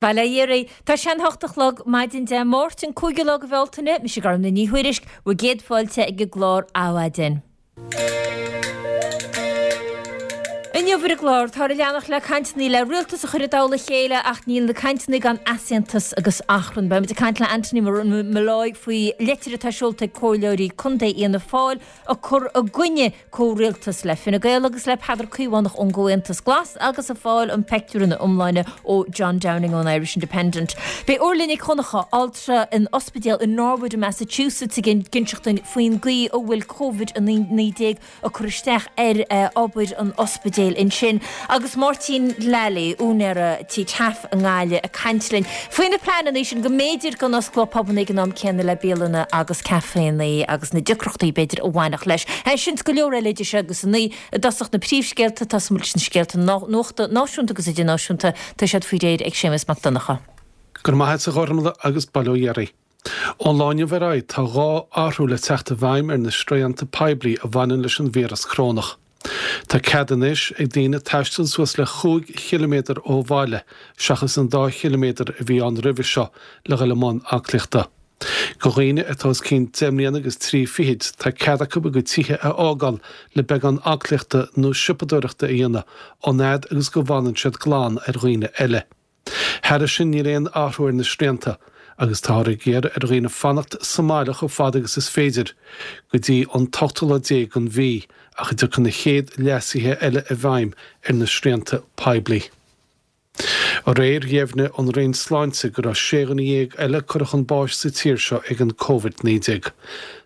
Bail ó Dhia oraibh. Tá sé an hocht a chlog maidin Dé Máirt, an cúigiú lá de Bhealtaine. Mise Gormfhlaith Ní Thuairisg, bhur gcéad fáilte ag an gclár Adhmhaidin. Inniu ar an gclár, táthar ag leanacht le cainteanna le rialtas a chur i dtoll a chéile ach níl na cainteanna gan easaontas agus achrann. Beimid ag caint le Anthony Molloy faoi leitir atá seolta ag comhairleoirí contae Fhianna Fáil ag cur i gcoinne comhrialtas le Fine Gael agus le Peadar Caomhánach ón gComhaontas Glas agus ag fáil an peictiúr ina iomláine ó John Downing ón Irish Independent. Beidh Orla Nic Dhonncha, altra in ospidéal i Norwood i Massachusetts ag inseacht dúinn faoin gcaoi a bhfuil Covid-19 ag cur isteach ar obair an ospidéil ansin. Agus Máirtín Lally, úinéara Tí Taaffe i nGaillimh ag caint linn faoi na pleananna sin go mb'fhéidir go n-osclódh pubanna ag an am céanna le bialanna agus caiféanna agus na deacrachtaí b'fhéidir a bhainfeadh leis. Sin is go leor eile idir seo agus a 9 i dtosach na príomhscéalta, tosóidh muid leis na scéalta nuachta náisiúnta agus idirnáisiúnta, tá siad faoi réir ag Séamus Mac Donncha. Go raibh maith agat a Ghormfhlaith agus bail ó Dhia oraibh. Ón lá inniu ar aghaidh tá dhá athrú le teacht i bhfeidhm ar na srianta poiblí a bhaineann leis an víreas corónach. Tá cead anois ag daoine taisteal suas le chúig chiliméadar ó bhaile seachas an dá chiliméadar a bhí ann roimhe seo le dhul i mbun aclaíochta. Do dhaoine atá os cionn deich mbliana agus trí fichid tá cead acu a gcuid tithe a fhágáil le beagán aclaíochta nó siopadóireachta a dhéanamh an fhad agus go bhfanann siad glan ar dhaoine eile. Thairis sin níl aon athrú ar na srianta agus táthar ag iarraidh ar dhaoine fanacht sa mbaile chomh fada agus is féidir go dtí an t-ochtú lá déag den mhí ach a dtiocfaidh na chéad leasuithe eile i bhfeidhm ar na srianta poiblí. Aréir dheimhnigh an Roinn Sláinte go raibh 16 dhuine eile curtha chun báis sa tír seo ag an Covid-19.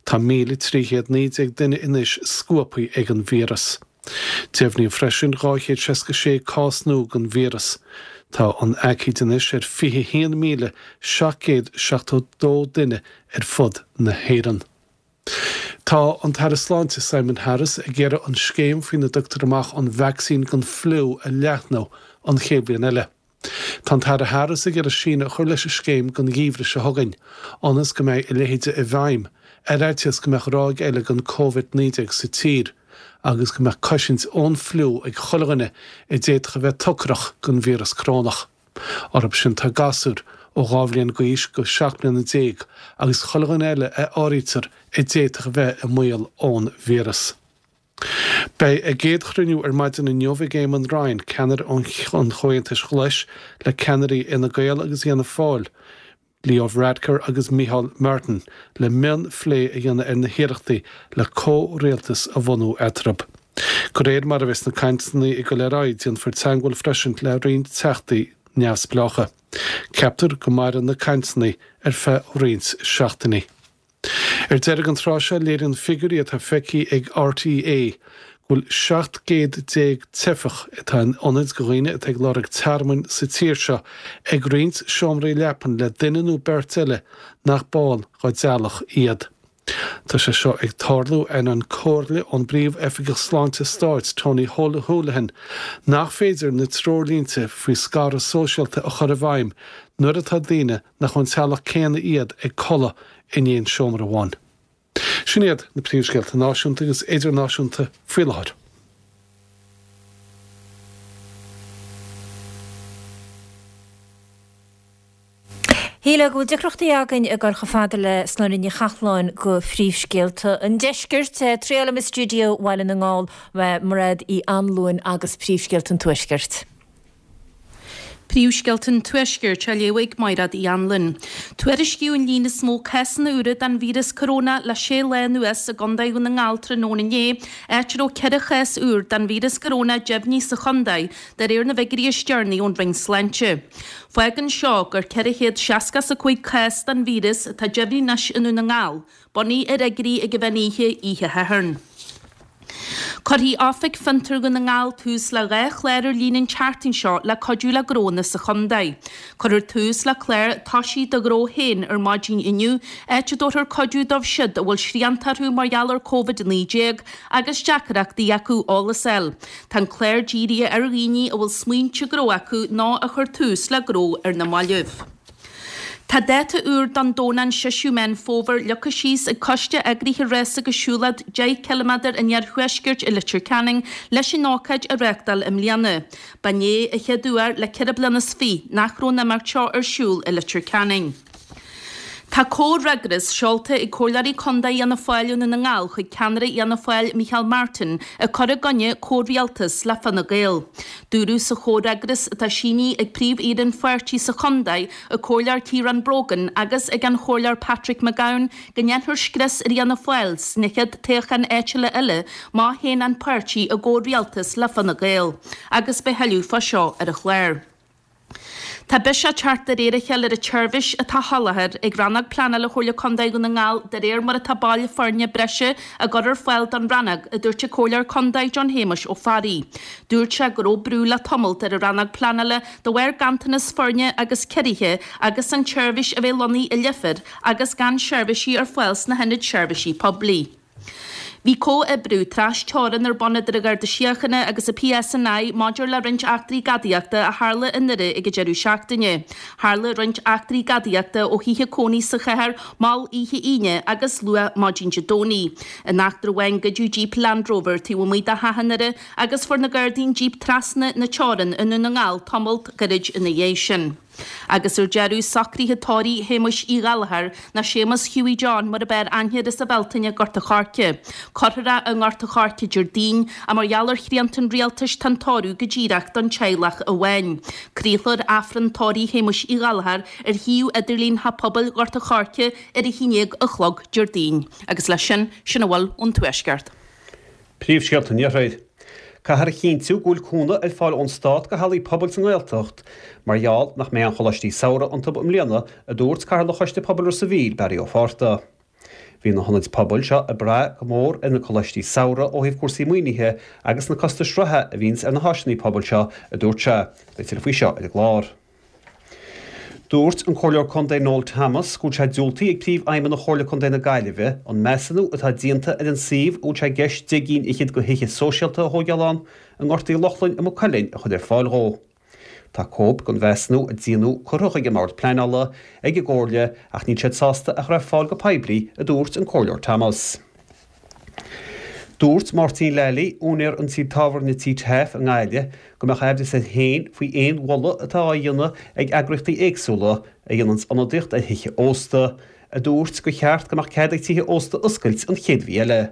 Tá 1,319 duine anois scuabtha ag an víreas. Deimhníodh freisin 266 cás nua den víreas. Tá an aicíd anois ar 21,772 duine ar fud na hÉireann. Tá an tAire Sláinte Simon Harris ag iarraidh an scéim faoina dtugtar amach an vacsaín don fliú a leathnú an chéad bhliain eile. Tá an tAire Harris ag iarraidh síneadh a chur leis an scéim don gheimhreadh seo chugainn, ionas go mbeidh a leithéide i bhfeidhm, ar fhaitíos go mbeadh ráig eile den Covid-19 sa tír, agus go mbeadh cosaint ón fliú ag chuile dhuine a d'fhéadfadh a bheith tocrach don víreas corónach. Orthu sin tá gasúir ó 2 bhliain d'aois go 17 mbliana agus chuile dhuine eile a áirítear a d'fhéadfadh a bheith i mbaol ón víreas. Beidh a gcéad chruinniú ar maidin inniu ag Eamon Ryan, ceannaire an Chomhaontais Ghlais, le ceannairí Fhine Gael agus Fhianna Fáil, Leo Varadkar agus Micheál Martin, le mionphlé a dhéanamh ar na hiarrachtaí le comhrialtas a bhunú eatarthu. De réir mar a bheas na cainteanna ag dul ar aghaidh, déanfar teagmháil freisin le roinnt teachtaí neamhspleácha. Ceaptar go mairfidh na cainteanna ar feadh roinnt seachtainí. Ar deireadh an tráth seo, léiríonn figiúirí atá feicthe ag RTÉ go bhfuil 17 gcéad teifeach atá in ionaid do dhaoine atá ag lorg tearmainn sa tír seo ag roinnt seomraí leapan le duine nó beirt eile nach ball dá dteaghlach iad. Tá sé seo ag tarlú ainneoin comhairle ón bPríomh-Oifigeach Sláinte Stáit, Tony Holohan, nach féidir na treoirlínte faoi scaradh sóisialta a chur i bhfeidhm nuair atá daoine nach ón teaghlach céanna iad ag codladh in aon seomra amháin. Sin iad na príomhscéalta náisiúnta agus idirnáisiúnta faoi láthair. Shílfeá go bhfuil deacrachtaí againn ag dul chomh fada le Sláine Ní Chathláin do phríomhscéalta an deiscirt. Triail liom i stiúideo Bhaile na nGall, Mairéad Uí Anluain agus príomhscéalta an tuaiscirt. Príomhscéalta an Tuaiscirt á léamh ag Maighread Uí Anluain. Tuairiscíodh an líon is mó cásanna úra den víreas coróna le sé lá anuas i gContae Dhún na nGall tráthnóna inné, áit a raibh 4 chás úr den víreas coróna deimhnithe sa chontae, de réir na bhfigiúirí is deireanaí ón Roinn Sláinte. Fágann seo gur 465 cás den víreas atá deimhnithe anois i nDún na nGall, Bunaithe ar fhigiúirí ag an mheán oíche oíche Shathairn. Cuirfidh Oifig Fiontar Dhún na nGall tús le 2 chlár ar líne an tseachtain seo le cuidiú le gnónna sa chontae. Cuirfear tús le clár Toisigh do Ghnó Féin ar maidin inniu, áit a dtabharfar cuidiú dóibh siud a bhfuil srianta orthu mar gheall ar Covid-19 agus deacrachtaí acu eolas a fháil. Tá an clár dírithe ar dhaoine a bhfuil smaointe gnó acu nó a chuir tús le gnó ar na mallaibh. Tá dáta úr don Domhnach an 6ú Meán Fómhair leagtha síos ag coiste eagraithe rás agus siúlóid 10 ciliméadar an Iarthuaiscirt i Leitir Ceanainn leis an ócáid a reáchtáil i mbliana. B'in é an chéad uair le 24 bliana nach raibh an imeacht seo ar siúl i Leitir Ceanainn. Tá comhfhreagras seolta ag Comhairleoirí Contae Fhianna Fáil i nDún na nGall chuig ceannaire Fhianna Fáil Micheál Martin ag cur i gcoinne comhrialtas le Fine Gael. Dúradh sa chomhfhreagras atá sínithe ag Príomh-Aoire an pháirtí sa chontae, an Comhairleoir Ciarán Brogan agus ag an Chomhairleoir Patrick McGowan go ndéanfar scrios ar Fhianna Fáil sna chéad toghcháin áitiúla eile má théann an páirtí i gcomhrialtas le Fine Gael. Agus beidh thuilleadh fá seo ar an chlár. Tá biseach ag teacht de réir a chéile ar an tseirbhís atá á sholáthar ag Rannóg Pleanála Chomhairle Contae Dhún na nGall de réir mar atá baill foirne breise á gcur ar fáil don rannóg, a dúirt an Comhairleoir Contae John Shéamuis Ó Fearraigh. Dúirt sé go raibh brú le tamalt ar an rannóg pleanála de bharr ganntanas foirne agus ciorruithe agus an tseirbhís a bheith lonnaithe i Leifear agus gan seirbhísí ar fáil sna hionaid seirbhísí poiblí. Bhí comhoibriú tras-teorann ar bun idir an Gharda Síochána agus an PSNI maidir le roinnt eachtraí gadaíochta a tharla i nDoire ag an deireadh seachtaine. Tharla roinnt eachtraí gadaíochta ó thithe cónaí sa chathair mall oíche Aoine agus luath maidin Dé Domhnaigh. In eachtra amháin goideadh jíp Land Rover taobh amuigh de theach i nDoire agus fuair na Gardaí an jíp trasna na teorann i nDún na nGall tamalt gairid ina dhiaidh sin. Agus ar deireadh, socruithe tórraimh Shéamuis Uí Ghallchóir, nó Séamus Hughie John mar ab fhearr aithne air as an Bhealtaine, Gort a' Choirce. Cuirfear é i nGort a' Choirce Déardaoin, ach mar gheall ar shrianta an rialtais tá an tórramh go díreach don teaghlach amháin. Craolfar Aifreann tórraimh Shéamuis Uí Ghallchóir ar shuíomh idirlín Theach Pobail Ghort a' Choirce ar a haon déag a chlog Déardaoin. Agus leis sin, sin a bhfuil ón Tuaisceart. Príomhscéalta an Iarthair. Caithfear a chinntiú go bhfuil cúnamh ar fáil ón stát do hallaí pobail sa nGaeltacht mar gheall nach mbeidh aon choláistí samhraidh iontu i mbliana, a dúirt Cathaoirleach Choiste Pobail Ros a' Mhíl, Barry Ó Fátharta. Bhí na hionaid pobail seo ag brath go mór ar na coláistí samhraidh ó thaobh cúrsaí maoinithe agus na costais reatha a bhíonns ar na háiseanna pobail seo, a dúirt sé. Beidh tuilleadh faoi seo ar an gclár. Dúirt an Comhairleoir Contae Noel Thomas go bhfuil sé diúltaithe ag Príomhfheidhmeannach Chomhairle Contae na Gaillimhe an measúnú atá déanta ar an suíomh a bhfuil sé i gceist 10 gcinn fhichead de thithe sóisialta a thóigeáil ann i nGort Uí Lochlainn i Maigh Cuilinn a chur ar fáil dhó. Tá cóip den mheasúnú a déanadh curtha chuig an mBord Pleanála ag an gComhairle ach níl siad sásta é a chur ar fáil go poiblí, a dúirt an Comhairleoir Thomas. Dúirt Máirtín Lally, úinéir an tí tábhairne Tí Taaffe i nGaillimh, go mbeadh aimhreas air féin faoi aon mholadh atá á dhéanamh ag eagraíochtaí éagsúla a dhéananns ionadaíocht ar thithe ósta, a dúirt gur cheart go mbeadh cead ag tithe ósta oscailt an chéad mhí eile.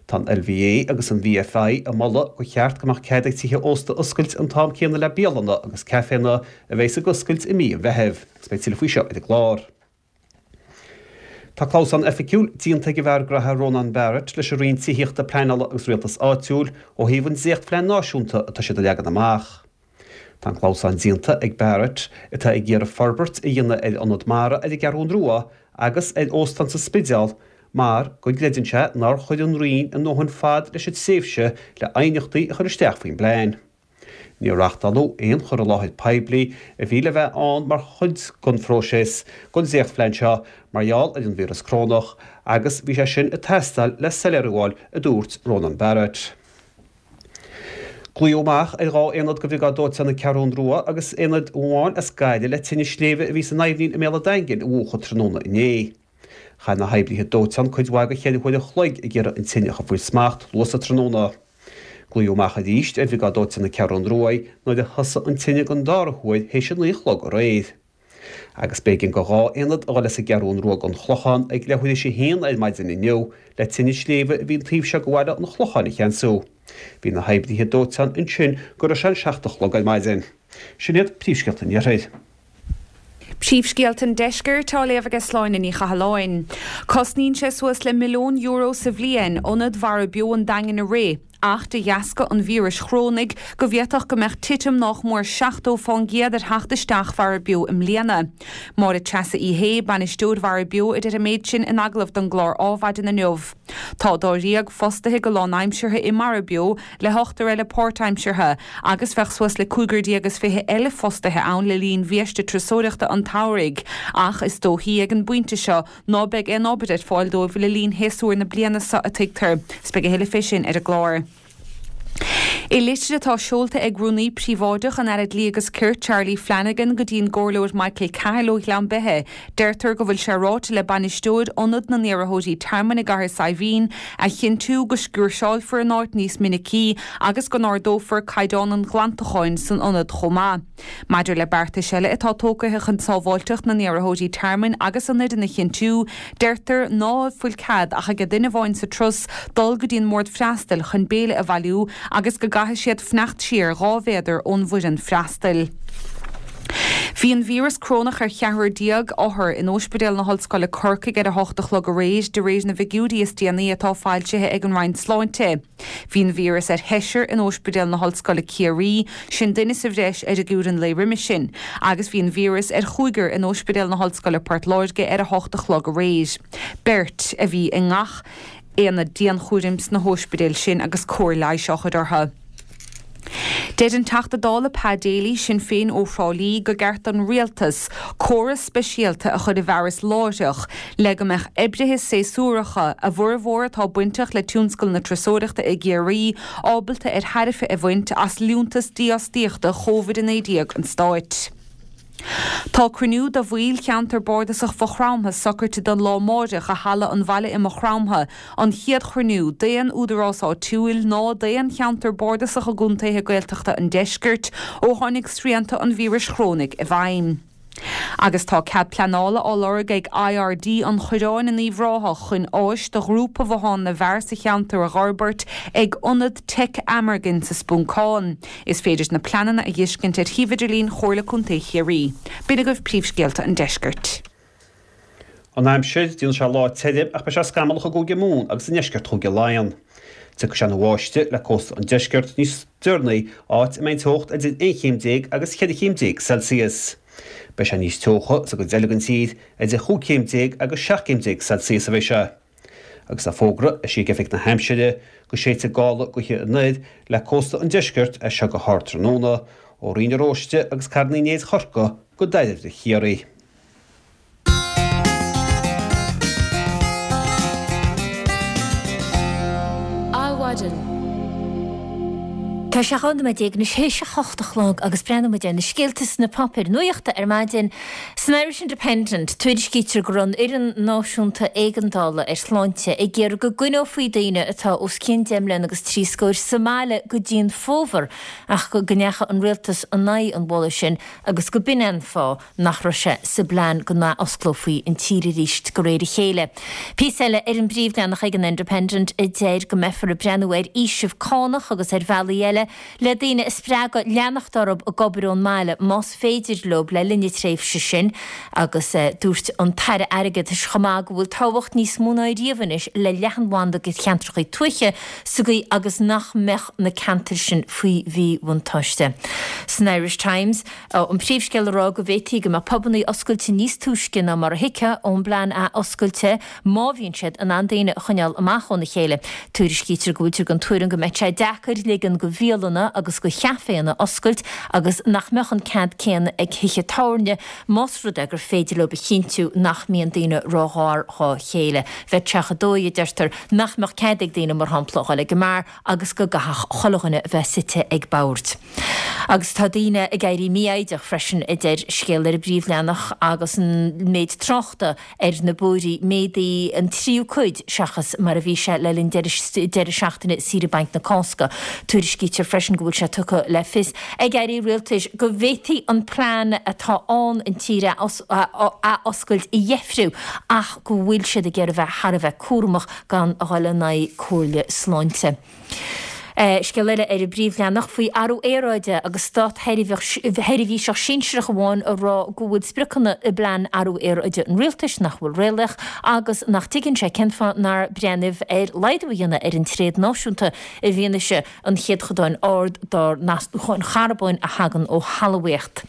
Tá an LVA agus an VFI ag moladh gur cheart go mbeadh cead ag tithe ósta oscailt an t-am céanna le bialanna agus caiféanna a bheas ag oscailt i mí an Mheithimh, agus beidh tuilleadh faoi seo ar an gclár. Tá clamhsán oifigiúil déanta ag an bhfear graithe Rónán Barrett leis an Roinn Tithíochta, Pleanála agus Rialtais Áitiúil ó thaobh an dréachtphlean náisiúnta atá siad a leagan amach. Tá an clamhsán déanta ag Barrett, atá ag iarraidh forbairt a dhéanamh ar ionad mara ar an gCeathrún Rua agus ar óstán sa Spidéal mar go gcreideann sé nár chuir an Roinn a ndóthain fad leis an tréimhse le aighneachtaí a chur isteach faoin bplean. Níor reáchtáladh aon chur i láthair poiblí a bhí le bheith ann mar chuid den phróiseas don dréachtphlean seo mar gheall ar an víreas corónach agus bhí sé sin ag teastáil le soiléiriú a fháil, a dúirt Rónán Barrett. Glaodh amach ar 2 aonad de Bhriogáid Dóiteáin na Ceathrún Rua agus aonad amháin as Gaillimh le tine sléibhe a bhí san Aibhnín i mbéal an Daingin a mhúchadh tráthnóna inné. Chaith na hoibrithe dóiteáin cuid mhaith de cheithre huaire an chloig ag iarraidh an tine a chur faoi smacht luath sa tráthnóna. Glaodh amach arís ar Bhriogáid Dóiteáin na Ceathrún Rua nuair a thosaigh an tine den dara huair théis a 9 a chlog aréir. Agus b'éigean do 2 aonad a dhul as an gCeathrún Rua don Chlochán ag leathuair théis a haon ar maidin inniu le tine sléibhe a bhí an taobh seo de bhaile an Chlocháin a cheansú. Bhí na hoibrithe dóiteáin ansin go raibh sé an 7 a chlog ar maidin. Sin iad príomhscéalta an Iarthair. Príomhscéalta an Deiscirt á léamh aige Sláine Ní Chathalláin. Cosnaíonn sé suas le €1 milliún sa bhliain ionad Mhara Beo an Daingin a rith, ach de dheasca an víris chorónaigh go bhféadfadh go mbeadh titim nách mór 70% ar theacht isteach Mhara Beo i mbliana. Máire Treasa Uí Shé, bainisteoir Mhara Beo a deir an méid sin in agallamh don gclár Ádhmhaidin inniu. Tá dáréag fostaithe go lánaimseartha i Mara Beo le hochtar eile páirtaimseartha, agus bheadh suas le cúigear déag is fiche eile fostaithe ann le linn bhiaiste turasóireachta an tsamhraidh, ach is dóichí ag an bpointe seo ná beidh aon obair ar fáil dóibh le linn shéasúr na bliana seo, a tuigtear. 'S beidh a thuilleadh fé sin ar an gclár. I litir atá seolta ag Rúnaí Príobháideach an Aire Dlí agus Cirt, Charlie Flanagan, go dtí an gComhairleoir Michael Cahill ó Ghleann Beithe, deirtear go bhfuil sé ráite le bainisteoir Ionad na nIarrthóirí Tearmainn i gCathair Saidhbhín a chinntiú go sciúrseálfar an áit níos minicí agus go n-ardófar caighdeán an ghlantacháin san ionad chomh maith. Maidir le beartais eile atá tógtha chun sábháilteacht na n-iarrthóirí tearmainn agus an fhoireann a chinntiú, deirtear ná fuil cead ach ag duine amháin sa turas dul go dtí an mbord freastail chun béile a bhailiú agus go gcaithfidh siad fanacht siar 2 mhéadar ón bhfoireann freastail. Bhí an víreas corónach ar cheathrar othar in Ospidéal na hOllscoile Corcaigh ar a hocht a chlog aréir, de réir na bhfigiúirí is déanaí atá foilsithe ag an Roinn Sláinte. Bhí an víreas ar sheisear in Ospidéal na hOllscoile Ciarraí, sin duine sa bhreis ar fhigiúr an lae roimis sin, agus bhí an víreas ar chúigear in Ospidéal na hOllscoile Port Láirge ar 8 a chlog aréir. Beirt a bhí i ngach aonad dianchúraim sna hóispidéil sin agus cóir leighis á chur orthu. Deir an Teachta Dála Pa Daly, Sinn Féin ó Thrá Lí, go gceart don Rialtas córas speisialta a chur i bhfearas láithreach le go mbeadh oibrithe séasúracha, a bhformhór atá bainteach le tionscal na turasóireachta i gCiarraí, ábalta ar thairbhe a bhaint as liúntas dífhostaíochta Covid-19 an Stáit. Tá cruinniú de bhaill cheantar bardasach Mhaigh Chromtha socraite don lá amáireach i Halla an Bhaile i Maigh Chromtha, an chéad chruinniú d'aon údarás áitiúil ná d'aon cheantar bardasach i gcontaetha Gaeltachta an deiscirt ó tháinig srianta an víris chorónaigh i bhfeidhm. Agus tá cead pleanála á lorg ag IRD an Choireáin in Uíbh Ráthach chun áis do ghrúpa Bhothán na bhFear sa cheantar a dh'fhorbairt ag Ionad Teic Amergin sa Spuncán. Is féidir na pleananna a dh'fheiscint ar shuíomh idirlín Chomhairle Contae Chiarraí. B'in agaibh príomhscéalta an deiscirt. An aimsir, Déanfaidh sé lá tirim ach beidh sé scamallach i gCúige Mumhan agus i ndeisceart Chúige Laighean. Tiocfaidh sé ina bháisteach le cósta an deiscirt níos deireanaí, áit a mbeidh an teocht idir 11 chéim agus 14 chéim Celsius. Beidh sé níos teocha sa gcuid eile den tír, idir chúig chéim déag agus 17 céim Celsius a bheidh sé. Agus tá fógra eisithe ag Oifig na hAimsire go séidfidh gála gaoithe anoir le cósta an deiscirt as seo go hardtráthnóna, ó Rinn na Róiste agus Carn Uí Néid Chorcaí go Dairbhre Chiarraí. Adhmhaidin. Tá sé 12 nóiméad anois théis a hocht a chlog agus breathnóidh muid ar na scéalta sna páipéir nuachta ar maidin. San Irish Independent, tuairiscítear go raibh an Fhoireann Náisiúnta Éigeandála ar Shláinte ag iarraidh go gcoinneofaí daoine atá os cionn deich mbliana agus trí scóir sa mbaile go dtí an fómhar ach go ndeachaigh an rialtas in aghaidh an mholaidh sin agus go b'in é an fáth nach raibh sé sa bplean go n-athosclófaí an tír arís de réir a chéile. Píosa eile ar an bpríomhleathanach ag an Independent a deir go mbeifear ag breathnú ar fhaoiseamh cánach agus ar bhealaí eile le daoine a spreagadh leanacht orthu ag obair ón mbaile más féidir leo le linn na tréimhse sin agus dúirt an tAire Airgeadais chomh maith go bhfuil tábhacht níos mó ná riamh anois le leathanbhanda do cheantracha tuaithe sa gcaoi agus nach mbeadh na ceantair sin faoi mhíbhuntáiste. San Irish Times. An príomhscéal ag rá go bhféadfaí go mbeadh pubannaí oscailte níos túisce ná mar a thuigfeá ón bplean athoscailte má bhíonn siad in ann daoine a choinneáil amach óna chéile. Tuairiscítear go bhfuiltear den tuairim go mbeadh sé deacair ligean do bhialanna agus do chaiféanna oscailt agus nach mbeadh an cead céanna ag thithe tábhairne más rud é gur féidir leo a chinntiú nach mbíonn daoine róghar dhá chéile. Bheadh sé chomh dóigh, a deirtear, nach mbeadh cead ag daoine, mar shampla, a dhul ag an mbeár agus go gcaithfeadh chuile dhuine a bheith suite ag bord. Agus tá daoine ag éirí mífhoighdeach freisin, a deir scéal ar an bpríomhleathanach, agus an méid tráchta ar na bóithrí méadaithe an tríú cuid seachas mar a bhí sé le linn deireadh seachtaine saoire bainc na Cásca. Tuairiscítear freisin go bhfuil sé tugtha le fios ag airí rialtais go bhféadfaí an plean atá ann an tír a athoscailt a dheifriú ach go bhfuil siad ag iarraidh bheith thar a bheith cúramach gan a dhul in aghaidh comhairle sláinte. Scéal eile ar an bpríomhleathanach faoi athrú aeráide agus státsheirbhíseach sinsearach amháin ag rá go bhfuil spriocanna i bplean athrú aeráide an rialtais nach bhfuil réalaíoch agus nach dtuigeann sé cén fáth nár breathnaíodh ar laghdú a dhéanamh ar an tréad náisiúnta i bhfianaise an chéadchodáin ard dár n-astúcháin charbóin a thagann ó thalmhaíocht.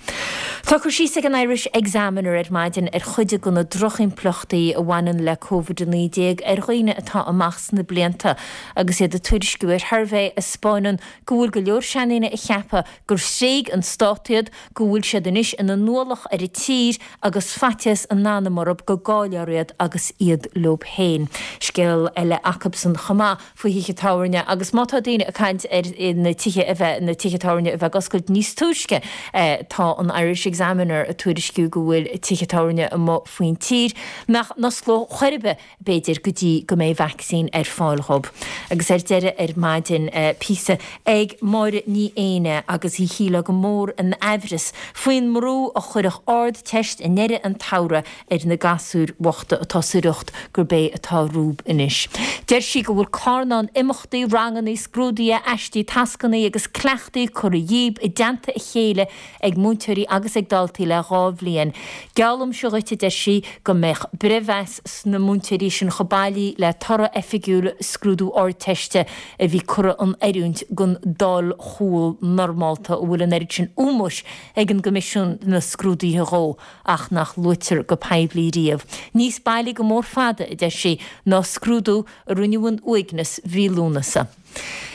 Tá cur síos ag an Irish Examiner ar maidin ar chuid de na drochimpleachtaí a bhaineann le Covid-19 ar dhaoine atá amach sna blianta agus iad ag tuairisciú ar shuirbhé. a 'spáineann go bhfuil go leor seandaoine a cheapadh gur thréig an stát iad, go bhfuil siad anois ina n-ualach ar an tír agus faitíos a n-anam orthu go gcaillfear iad agus iad leo féin. Scéal eile acubsan chomh maith faoi thithe tábhairne agus má tá daoine ag caint ar na tithe a bheith, na tithe tábhairne a bheith ag oscailt níos túisce, tá an Irish Examiner ag tuairisciú go bhfuil tithe tábhairne amuigh faoin tír nach n-osclódh chor ar bith b'fhéidir go dtí go mbeidh vacsaín ar fáil dhób. Agus ar deireadh ar maidin, píosa ag Máire Ní Éinne agus í shílfeá go mór in aimhreas faoin mbrú a chuirfeadh Ardteist i ndeireadh an tsamhraidh ar na gasúir bhochta atá sa riocht gurb é atá rompu anois. Deir sí go bhfuil carnán imeachtaí, rangannaí, scrúduithe, aistí, tascannaí agus cleachtaí curtha dhíob i dteannta a chéile ag múinteoirí agus ag daltaí le 2 bhliain. Geallaimse dhuit, a deir sí, go mbeadh breithmheas sna múinteoirí sin chomh bailí le toradh oifigiúil scrúdú Ardteiste a bhí curtha in oiriúint don dul chual normálta a bhfuil an oiread sin ómóis ag an gCoimisiún na Scrúduithe dhó ach nach luaitear go poiblí riamh. Níos bailí go mór fada, a deir sí, ná scrúdú a rinneadh in uaigneas mhí Lúnasa.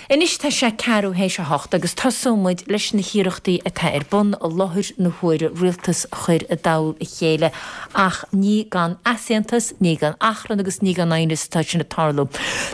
Anois tá sé ceathrú théis a hocht agus tosóidh muid leis na hiarrachtaí atá ar bun i láthair na huaire rialtas a chur i dtoll a chéile ach ní gan easaontas, ní gan achrann agus ní gan aighneas atá sin ag tarlú.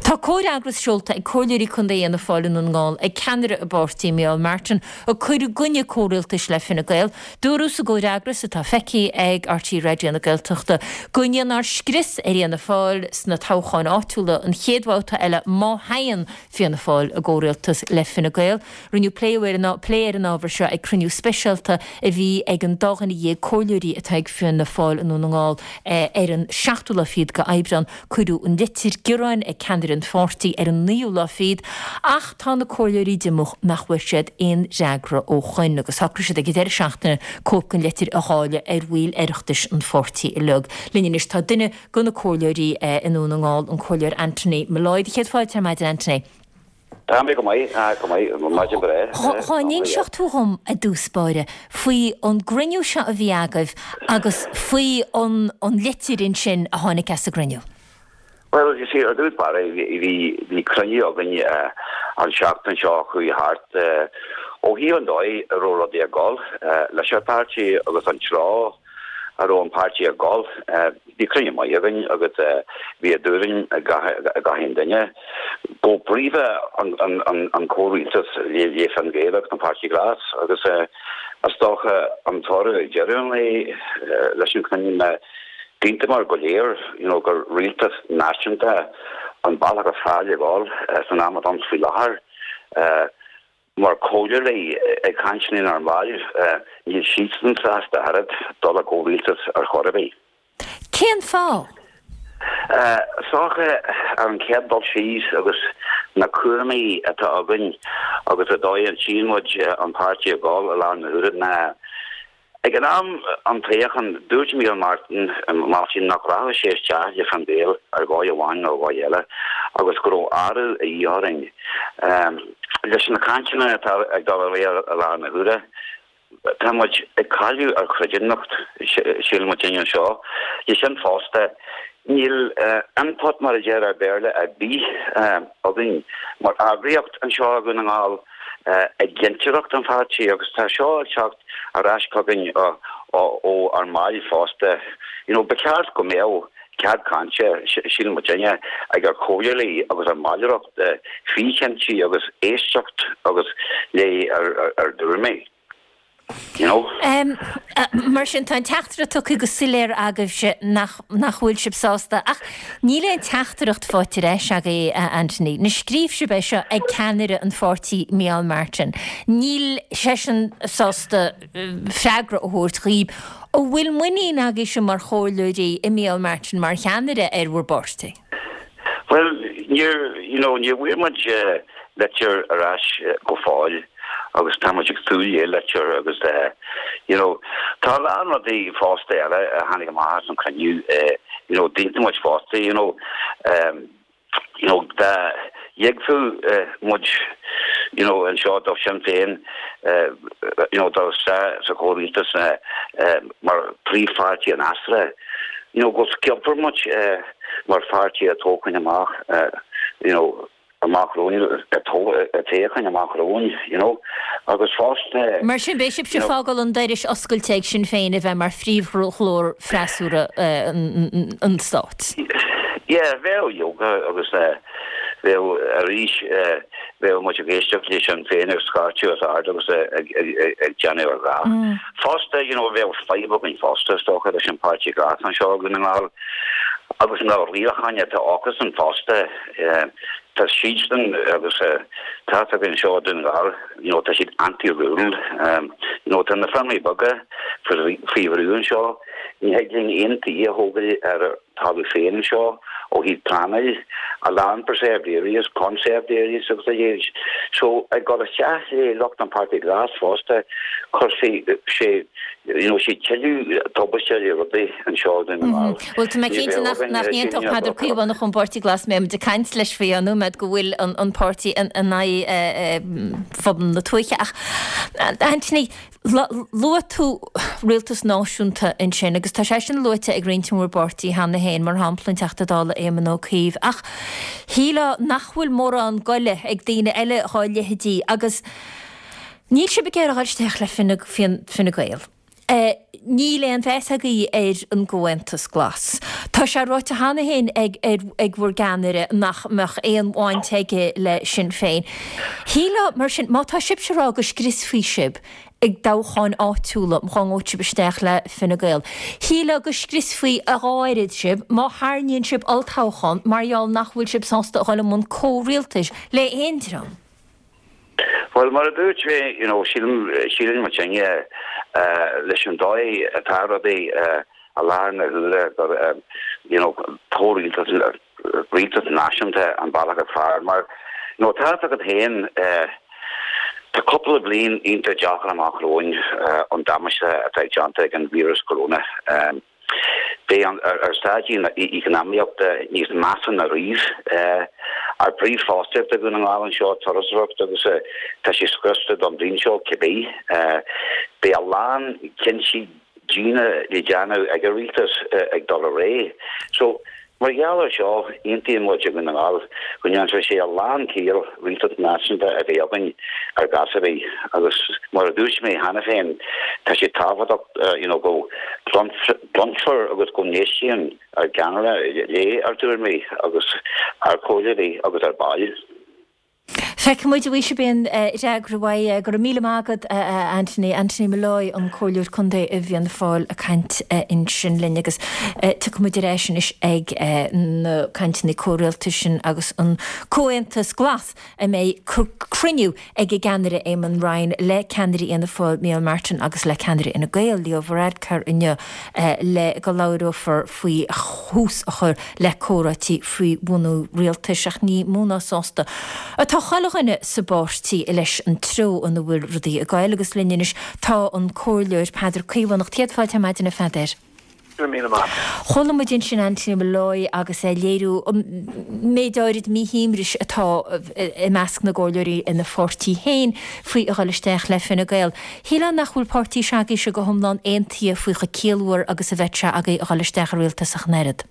Tá comhfhreagras seolta ag Comhairleoirí Contae Fhianna Fáil i nDún na nGall ag ceannaire a bpáirtí, Micheál Martin, ag cur i gcoinne comhrialtais le Fine Gael. Dúradh sa gcomhfhreagras, atá feicthe ag RTÉ Raidió na Gaeltachta, go ndéanfar scrios ar Fhianna Fáil sna toghcháin áitiúla an chéad bhabhta eile má théann Fianna Fáil i gcomhrialtas le Fine Gael. Rinneadh plé plé ar an ábhar seo ag cruinniú speisialta a bhí ag an dá dhuine dhéag comhairleoirí atá ag Fianna Fáil i nDún na nGall ar an seachtú lá fichead de Aibreán. Cuireadh an litir gearáin ag ceannaire an pháirtí ar an naoú lá fichead ach tá na comhairleoirí diomúch nach bhfuair siad aon fhreagra ó shoin agus shocraigh siad ag an deireadh seachtaine cóip den litir a dháileadh ar bhaill Oireachtais an pháirtí uilig. Linn anois tá duine de na comhairleoirí i nDún na nGall, an Comhairleoir Anthony Molloy. Do chéad fáilte ar maidin, Anthony. Tá mé go maith, go maith, maidin bhreá. Dhá n-inseodh tú dhom i dtús báire faoi an gcruinniú seo a bhí agaibh agus faoi an an litir ansin a tháinig as an gcruinniú. Bhuel, you see, ar dtús báire, bhí bhí cruinniú againn an seachtain seo a chuaigh thart ó thaobh an dóigh a raibh rudaí ag dul leis an pháirtí agus an treo a raibh an páirtí ag dul. Bhí cruinniú maith againn agus bhí a dtuairim ag gach aon duine. Go príomha an comhrialtas le Fine Gael agus an Páirtí Glas agus is dócha an toradh ag deireadh an lae leis an chruinniú ná d'aontaíomar go léir you know gur rialtas náisiúnta an bealach is fearr le dhul san am atá ann faoi láthair. Mar chomhairleoirí ag caint lenár mbaill, níl siadsan sásta oiread dul i gcomhrialtas ar chor ar bith. Cén fáth? Is dócha, ar an chéad dul síos, agus na cúraimí atá againn agus an dóigh a tchíonn muid an páirtí ag dul i láthair na huaire ná Ag an am an toghcháin, dúirt Micheál Martin Martin nach rachadh sé isteach le Fine Gael ar dhóigh amháin nó dhóigh eile agus go raibh athrú a dhíth orainn. Leis na cainteanna atá ag dul ar aghaidh i láthair na huaire, tá muid ag cailleadh ár gcreidiúnacht, síleann muidinne anseo. Leis sin fosta, níl input, mar a deir ar Béarla, ar bith againn mar eagraíocht anseo i Dhún na nGall. i gcinnteoireacht an pháirtí agus tá seo ag teacht ar ais chugainn ó ár mbaill fosta. You know, ba cheart go mbeadh cead cainte, síleann muidinne, ag ár comhairleoirí agus ár mballaireacht faoi chinntí agus éisteacht agus le ár dtuairimí. You know? Mar sin, tá an teachtaireacht tugtha go soiléir agaibhse nach nach bhfuil sibh sásta. Ach níl aon teachtaireacht faighte ar ais agaibh, a Anthony. Now scríobh sibh é seo ag ceannaire an pháirtí, Micheál Martin. Níl seisean sásta freagra a thabhairt dhaoib. An bhfuil muinín agaibhse mar chomhairleoirí i Micheál Martin mar cheannaire ar bhur bpáirtí? Bhuel, níor, you know, níor bhfuair muid litir ar ais go fóill agus tá muid ag súil le litir agus you know, tá a lán rudaí fosta eile a tháinig amach as an chruinniú, you know, d'aontaigh muid fosta, you know, you know, dá dtiocfadh muid, you know, anseo do Shinn Féin, you know, dul isteach sa chomhrialtas mar príomhpháirtí an fhreasúra, you know, go sciobfar muid mar pháirtí an toghcháin amach, you know. Amach romhainn, toghcháin amach romhainn, you know, agus fosta. Mar sin, beidh sibhse ag fágáil an dorais oscailte ag Sinn Féin a bheith mar phríomhghlór freasúra an stáit. Yeah, bheadh leoga agus bheadh arís bheadh muid ag éisteacht le Sinn Féin ag scairteadh os ard agus ag déanamh a dhath. Fosta, you know, bheadh fadhb againn fosta, is dócha, leis an Páirtí Glas anseo i nDún na nGall agus na rialacháin atá acusan fosta. Tá siadsan agus tá againn anseo i Dún na nGall, you know, tá siad anti-rural. You know, tá na feirmeoirí beaga faoi bhrú anseo. Ní thig linn aon tí a thógáil ar ár dtalamh féin anseo ó thaobh pleanáil, a lán preserved areas, conserved areas agus a leithéid. So, ag dul isteach le lucht an Páirtí Glas fosta, cuirfidh sé, you know, sé tuilleadh tubaiste le rudaí anseo i Dún na nGall. Bhuel, tá mé cinnte nach n-aontódh Peadar Caomhánach ón bPáirtí Glas mbeidh muid ag caint leis faoi an nóiméad go bhfuil an páirtí in aghaidh phobal na tuaithe. Ach, Anthony, luaigh tú rialtas náisiúnta ansin agus tá sé sin luaite ag roinnt i bhur bpáirtí cheana féin, mar shampla an Teachta Dála Éamon Ó Cuív. Ach shílfeá nach bhfuil mórán goile ag daoine eile dhá leithéidí agus níl sibh ag iarraidh dul isteach le Fine Gael. Níl aon mheas agaibh ar an gComhaontas Glas. Tá sé ráite cheana féin ag ag bhur gceannaire nach mbeadh aon bhaint aige le Sinn Féin. Shílfeá, mar sin, má tá sibhse ag rá go scriosfaí sibh i dtoghcháin áitiúla má ghabhann sibh isteach le Fine Gael, shílfeá go scriosfaí a dhá oiread sibh má tharraingíonn sibh olltoghchán mar gheall nach bhfuil sibh sásta a dhul i mbun comhrialtais le haon dream. Bhuel, mar a dúirt mé, you know, sílim, síleann muidinne, leis an dóigh atá rudaí i láthair na huaire gur, you know, comhrialtas, rialtas náisiúnta an bealach is fearr mar, you know, tá a fhios agat féin, tá cúpla bliain iontach deacair amach romhainn, an damáiste atá déanta ag an víreas corona. Beidh ár staid eacnamaíochta níos measa ná riamh. Ár bpríomhfhostaíocht i Dhún na nGall anseo, turasóireacht, agus tá sé scriosta don bhliain seo cibé. Beidh a lán cinntí diana le déanamh ag an rialtas ag dul ar aghaidh. So, Mar gheall ar seo, aontaíonn muid i nDún na nGall go ndéanfadh sé a lán ciall rialtas náisiúnta a bheith againn ar chás ar bith agus mar a dúirt mé cheana féin, tá sé tábhachtach you know go gcluinfear agus go n-éistíonn ár gceannaire le ár dtuairimí agus ár comhairleoirí agus ár baill. Feicfidh muid, an bhfaighidh sibh aon fhreagra uaidh. Go raibh míle maith agat, a Anthony. Anthony Molloy, an Comhairleoir Contae i bhFianna Fáil ag caint ansin linn agus tiocfaidh muid ar ais anois ag na cainteanna comhrialtais sin agus an Comhaontas Glas a mbeidh cruinniú ag a gceannaire Eamon Ryan le ceannairí Fhianna Fáil Micheál Martin agus le ceannaire Fhine Gael Leo Varadkar inniu le go labhrófar faoi thús a chur le comhráití faoi bhunú rialtais ach ní mó ná sásta atá chuile dhuine sa bpáirtí leis an treo ina bhfuil rudaí ag goil agus linn anois tá an Comhairleoir Peadar Caomhánach. Céad fáilte ar maidin a Pheadair. Go raibh míle maith. Chuala muid ansin Anthony Molloy agus é ag léiriú an méid áirid míshuaimhnis atá i measc na gcomhairleoirí ina pháirtí féin faoi a dhul isteach le Fine Gael. Shílfeá nach bhfuil páirtí s'agaibhse go hiomlán aontaithe faoi chomh ciallmhar agus a bheadh sé agaibh a dhul isteach i rialtas ach an oiread.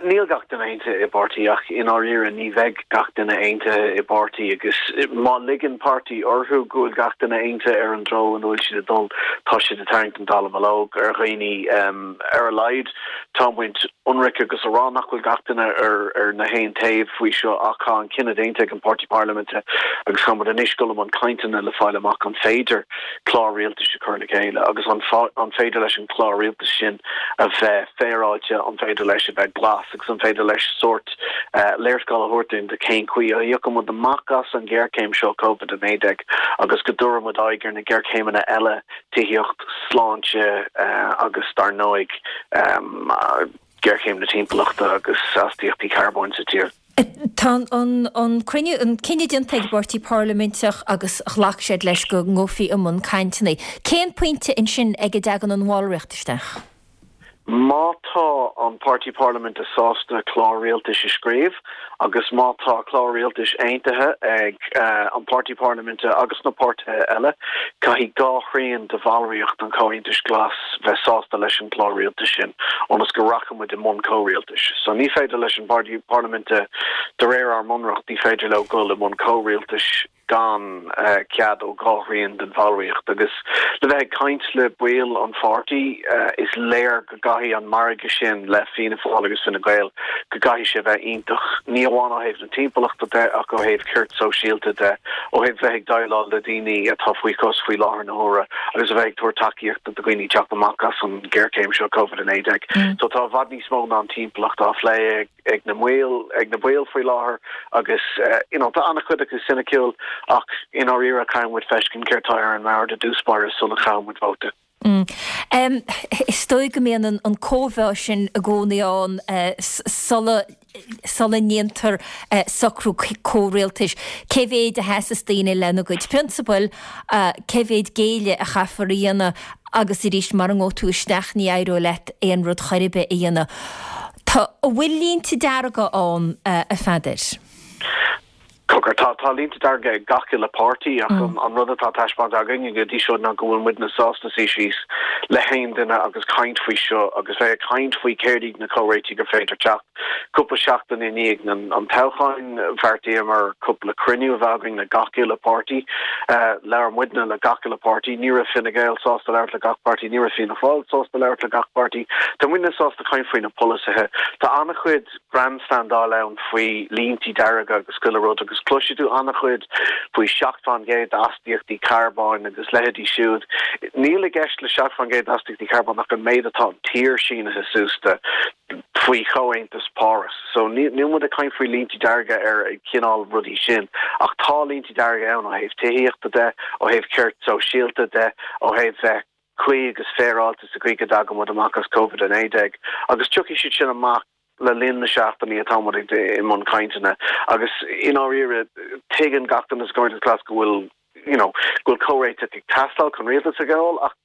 Níl gach duine aontaithe i bpáirtí ach i ndáiríre ní bheidh gach duine aontaithe i bpáirtí agus má ligeann páirtí orthu go bhfuil gach duine aontaithe ar an dtreo ina bhfuil siad ag dul, tá siad ag tarraingt an dallamullóg ar dhaoine. Ar a laghad tá muid ionraic agus a rá nach bhfuil gach duine ar ar na haon taobh faoi seo ach tá an cinneadh déanta ag an bpáirtí parlaiminte agus tá muid anois ag dul i mbun cainteanna le fáil amach an féidir clár rialtais a chur le chéile agus an an féidir leis an chlár rialtais sin a bheith féaráilte, an féidir leis a bheith glas agus an féidir leis sórt léarscáil a thabhairt dúinn de cén chaoi a thiocfaidh muid amach as an ghéarchéim seo Covid-19 agus go dtabharfaidh muid aghaidh ar na géarchéimeanna eile, tithíocht, sláinte agus dar ndóigh géarchéim na timpeallachta agus astaíochtaí carbóin sa tír. Tá an cruinniú, an cinneadh déanta ag an bpáirtí parlaiminteach agus ghlac siad leis go ngabhfaí i mbun cainteanna. Cén pointe ansin ag a dtagann an bhallraíocht isteach? Má tá an Páirtí Parlaiminte sásta clár rialtais a scríobh agus má tá clár rialtais aontaithe ag an Páirtí Parlaiminte agus na páirtithe eile, caithfidh dhá thrian de bhallraíocht an Chomhaontais Ghlais bheith sásta leis an gclár rialtais sin ionas go rachaidh muid i mbun comhrialtais. So ní féidir leis an bPáirtí Parlaiminte, de réir ár mbunreacht, ní féidir leo dul i mbun comhrialtais. gan cead ó dhá thrian den bhallraíocht. Agus le bheith ag caint le baill an pháirtí, is léir go gcaithfidh an margadh sin le Fianna Fáil agus Fine Gael, go gcaithfidh sé bheith iontach, ní amháin ó thaobh na timpeallachta de ach ó thaobh cirt sóisialta de, ó thaobh bheith ag déileáil le daoine atá faoi chois faoi láthair na huaire agus a bheith ag tabhairt tacaíochta do dhaoine teacht amach as an ghéarchéim seo Covid-19. So tá i bhfad níos mó ná an timpeallacht á phlé ag. ag na mbaill, ag na baill faoi láthair agus you know tá an-chuid acu soiniciúil ach i ndáiríre caithfidh muid feiscint céard tá ar an mbord i dtús báire sula gcaithfidh muid vóta. Is dóigh go mbíonn an cóimheá sin i gcónaí ann sula sula ndéantar socrú comhrialtais. Cé mhéid a sheasas daoine lena gcuid prionsabail, cé mhéid géilleadh a chaithfear a dhéanamh agus arís mara ngabhfaidh tú isteach ní éireoidh leat aon rud chor ar bith a dhéanamh. Tá, an bhfuil línte dearga ann, a Pheadair? Cogar, tá, tá línte dearga ag gach uile páirtí ach an rud atá taispeánta againn go dtí seo ná go bhfuil muidne sásta suí síos le haon duine agus caint faoi seo agus bheith ag caint faoi céard iad na comhréitigh gur féidir teacht. Cúpla seachtain i ndiaidh an toghcháin, bheartaíomar cúpla cruinniú a bheith againn le gach uile páirtí. Labhair muidne le gach uile páirtí. Ní raibh Fine Gael sásta labhairt le gach páirtí, ní raibh Fianna Fáil sásta labhairt le gach páirtí. Tá muidne sásta caint faoi na polasaithe. Tá an-chuid grandstandáil ann faoi líntí dearga agus chuile rud agus cloisfidh tú an-chuid faoi 7% d'astaíochtaí carbóin agus leithéidí siúd. Níl i gceist le 7% d'astaíochtaí carbóin ach an méid atá an tír sínithe suas de faoi Chomhaontas Páras. So níl muid ag caint faoi líntí dearga ar an chineál rudaí sin ach tá líntí dearga ann ó thaobh tithíochta de, ó thaobh cirt sóisialta de, ó thaobh bheith cuí agus féaráilte sa chaoi go dtagann muid amach as Covid-19 agus tiocfaidh siad sin amach le linn na seachtainí atá muid ag i mbun cainteanna agus i ndáiríre tuigeann gach duine sa Chomhaontas Glas go bhfuil you know go bhfuil comhréiteach ag teastáil chun rialtas a ghabháil ach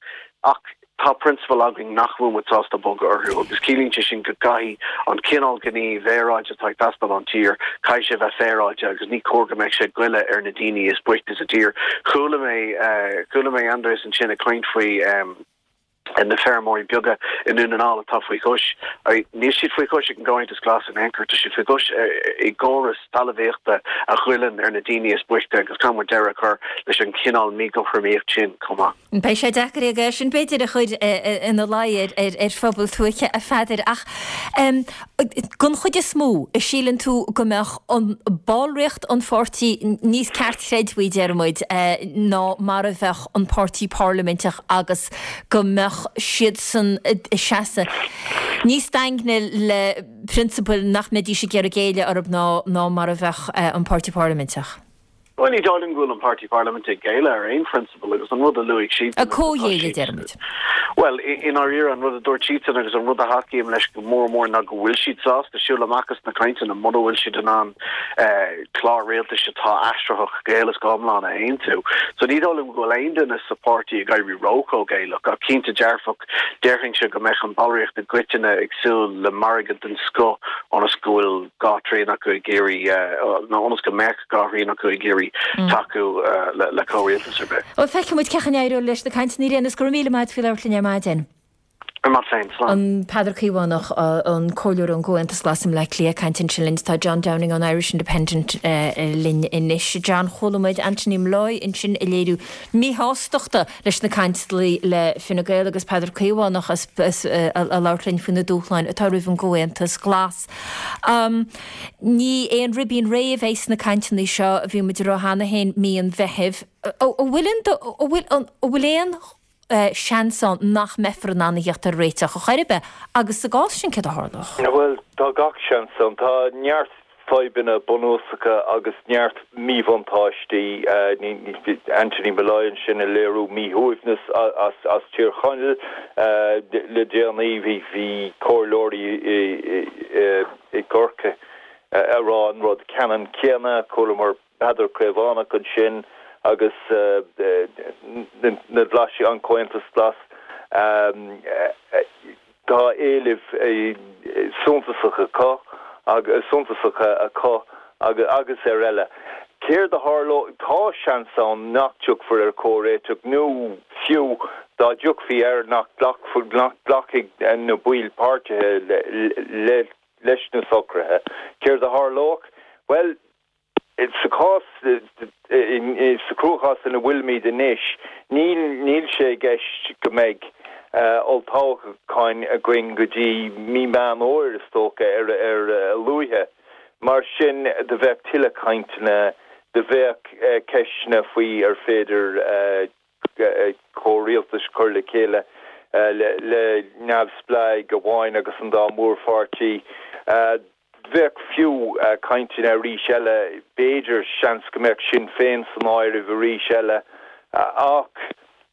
ach tá prionsabail againn nach bhfuil muid sásta bogadh orthu agus ciallaíonn sé sin go gcaithfidh an cineál gníomh aeráide atá ag teastáil ón tír, caithfidh sé bheith féaráilte agus ní cóir go mbeadh sé ag goilleadh ar na daoine is boichte sa tír. Chuala mé, chuala mé Aindrias ansin ag caint faoi na feirmeoirí beaga i nDún na nGall atá faoi chois. Níl siad faoi chois ag an gComhaontas Glas in aon chor, tá siad faoi chois i gcóras talmhaíochta a ghoilleann ar na daoine is boichte agus caithfidh muid deireadh a chur leis an chineál míchothromaíocht sin chomh maith. Beidh sé deacair é sin b'fhéidir a chur ina luí ar phobal tuaithe a Pheadair ach den chuid is mó, an síleann tú go mbeadh an ballraíocht an pháirtí níos ceartchreidmhí, deir muid, ná mar a bheadh an páirtí parlaiminteach agus go mbeadh siadsan ag seasamh níos daingne le prionsabail nach mbeidís ag iarraidh géilleadh orthu ná mar a bheadh an páirtí parlaiminteach? Bhuel, ní dóigh liom go bhfuil an Páirtí Parlaiminte ag géilleadh ar aon phrionsabal agus an rud a luaigh siadsan Ag comhghéilleadh, a deirimid. Bhuel, i ndáiríre, an rud a dúirt siadsan agus an rud a thacaím leis go mór mór ná go bhfuil siad sásta siúl amach as na cainteanna mura bhfuil siad in ann clár rialtais atá aistritheach go huile is go hiomlán a aontú. So ní dóigh liom go bhfuil aon duine sa pháirtí ag éirí ró-chomhghéilleach ach cinnte dearfach déarfainnse go mbeadh an bhallraíocht i gcoitinne ag súil le margadh den scoth ionas go bhfuil dhá thrian acu ag iarraidh, nó ionas go mbeadh dhá thrian acu ag iarraidh tacú le comhrialtas ar bith. Bhuel, feicfidh muid cén chaoi a n-éireoidh leis na cainteanna ar aon nós. Go raibh míle maith agat faoi labhairt linn ar maidin. Ar maith féin, slán. An Peadar Caomhánach, an Comhairleoir ón gComhaontas Glas i mBleá Cliath ag caint ansin linn. Tá John Downing ón Irish Independent linn anois. John, chuala muid Anthony Molloy ansin ag léiriú míshástachta leis na cainteanna le Fine Gael agus Peadar Caomhánach ag labhairt linn faoi na dúshláin atá roimh an gComhaontas Glas. Ní aon ribín réidh a bheidh sna cainteanna seo, bhí muid ag rá cheana féin mí an Mheithimh. An bhfuil an bhfuil aon seans ann nach mbeifear in ann a theacht ar réiteach ar chor ar bith agus sa gcás sin céard a tharlódh? Bhuel, tá gach seans ann. Tá neart fadhbanna bunúsacha agus neart míbhuntáistí. Anthony Molloy ansin ag léiriú míshuaimhneas as Tír Chonaill le déanaí. Bhí comhairleoirí i gCorcaigh ag rá an rud ceannann céanna. Chualamar Peadar Caomhánach ansin agus na Glaisigh, an Comhaontas Glas. Tá éilimh suntasacha acu, suntasacha acu agus ar eile. Céard a tharlóidh? Tá seans ann nach dtiocfar ar chomhréiteach nó fiú dá dtiocfaí air nach nglacfaidh na baill páirtithe leis na socruithe. Céard a tharlódh? Bhuel, Sa chás, sa chruachás ina bhfuilimid anois, níl, níl sé i gceist go mbeidh olltoghcháin againn go dtí mí Meán Fhómhair, is dócha, ar a luaithe. Mar sin, do bheadh tuilleadh cainteanna, do bheadh ceisteanna faoi ar féidir comhrialtas a chur le chéile le neamhspleáigh amháin agus an dá mhórpháirtí. Bheadh fiú cainteanna arís eile, b'fhéidir, seans go mbeadh Sinn Féin san áireamh arís eile ach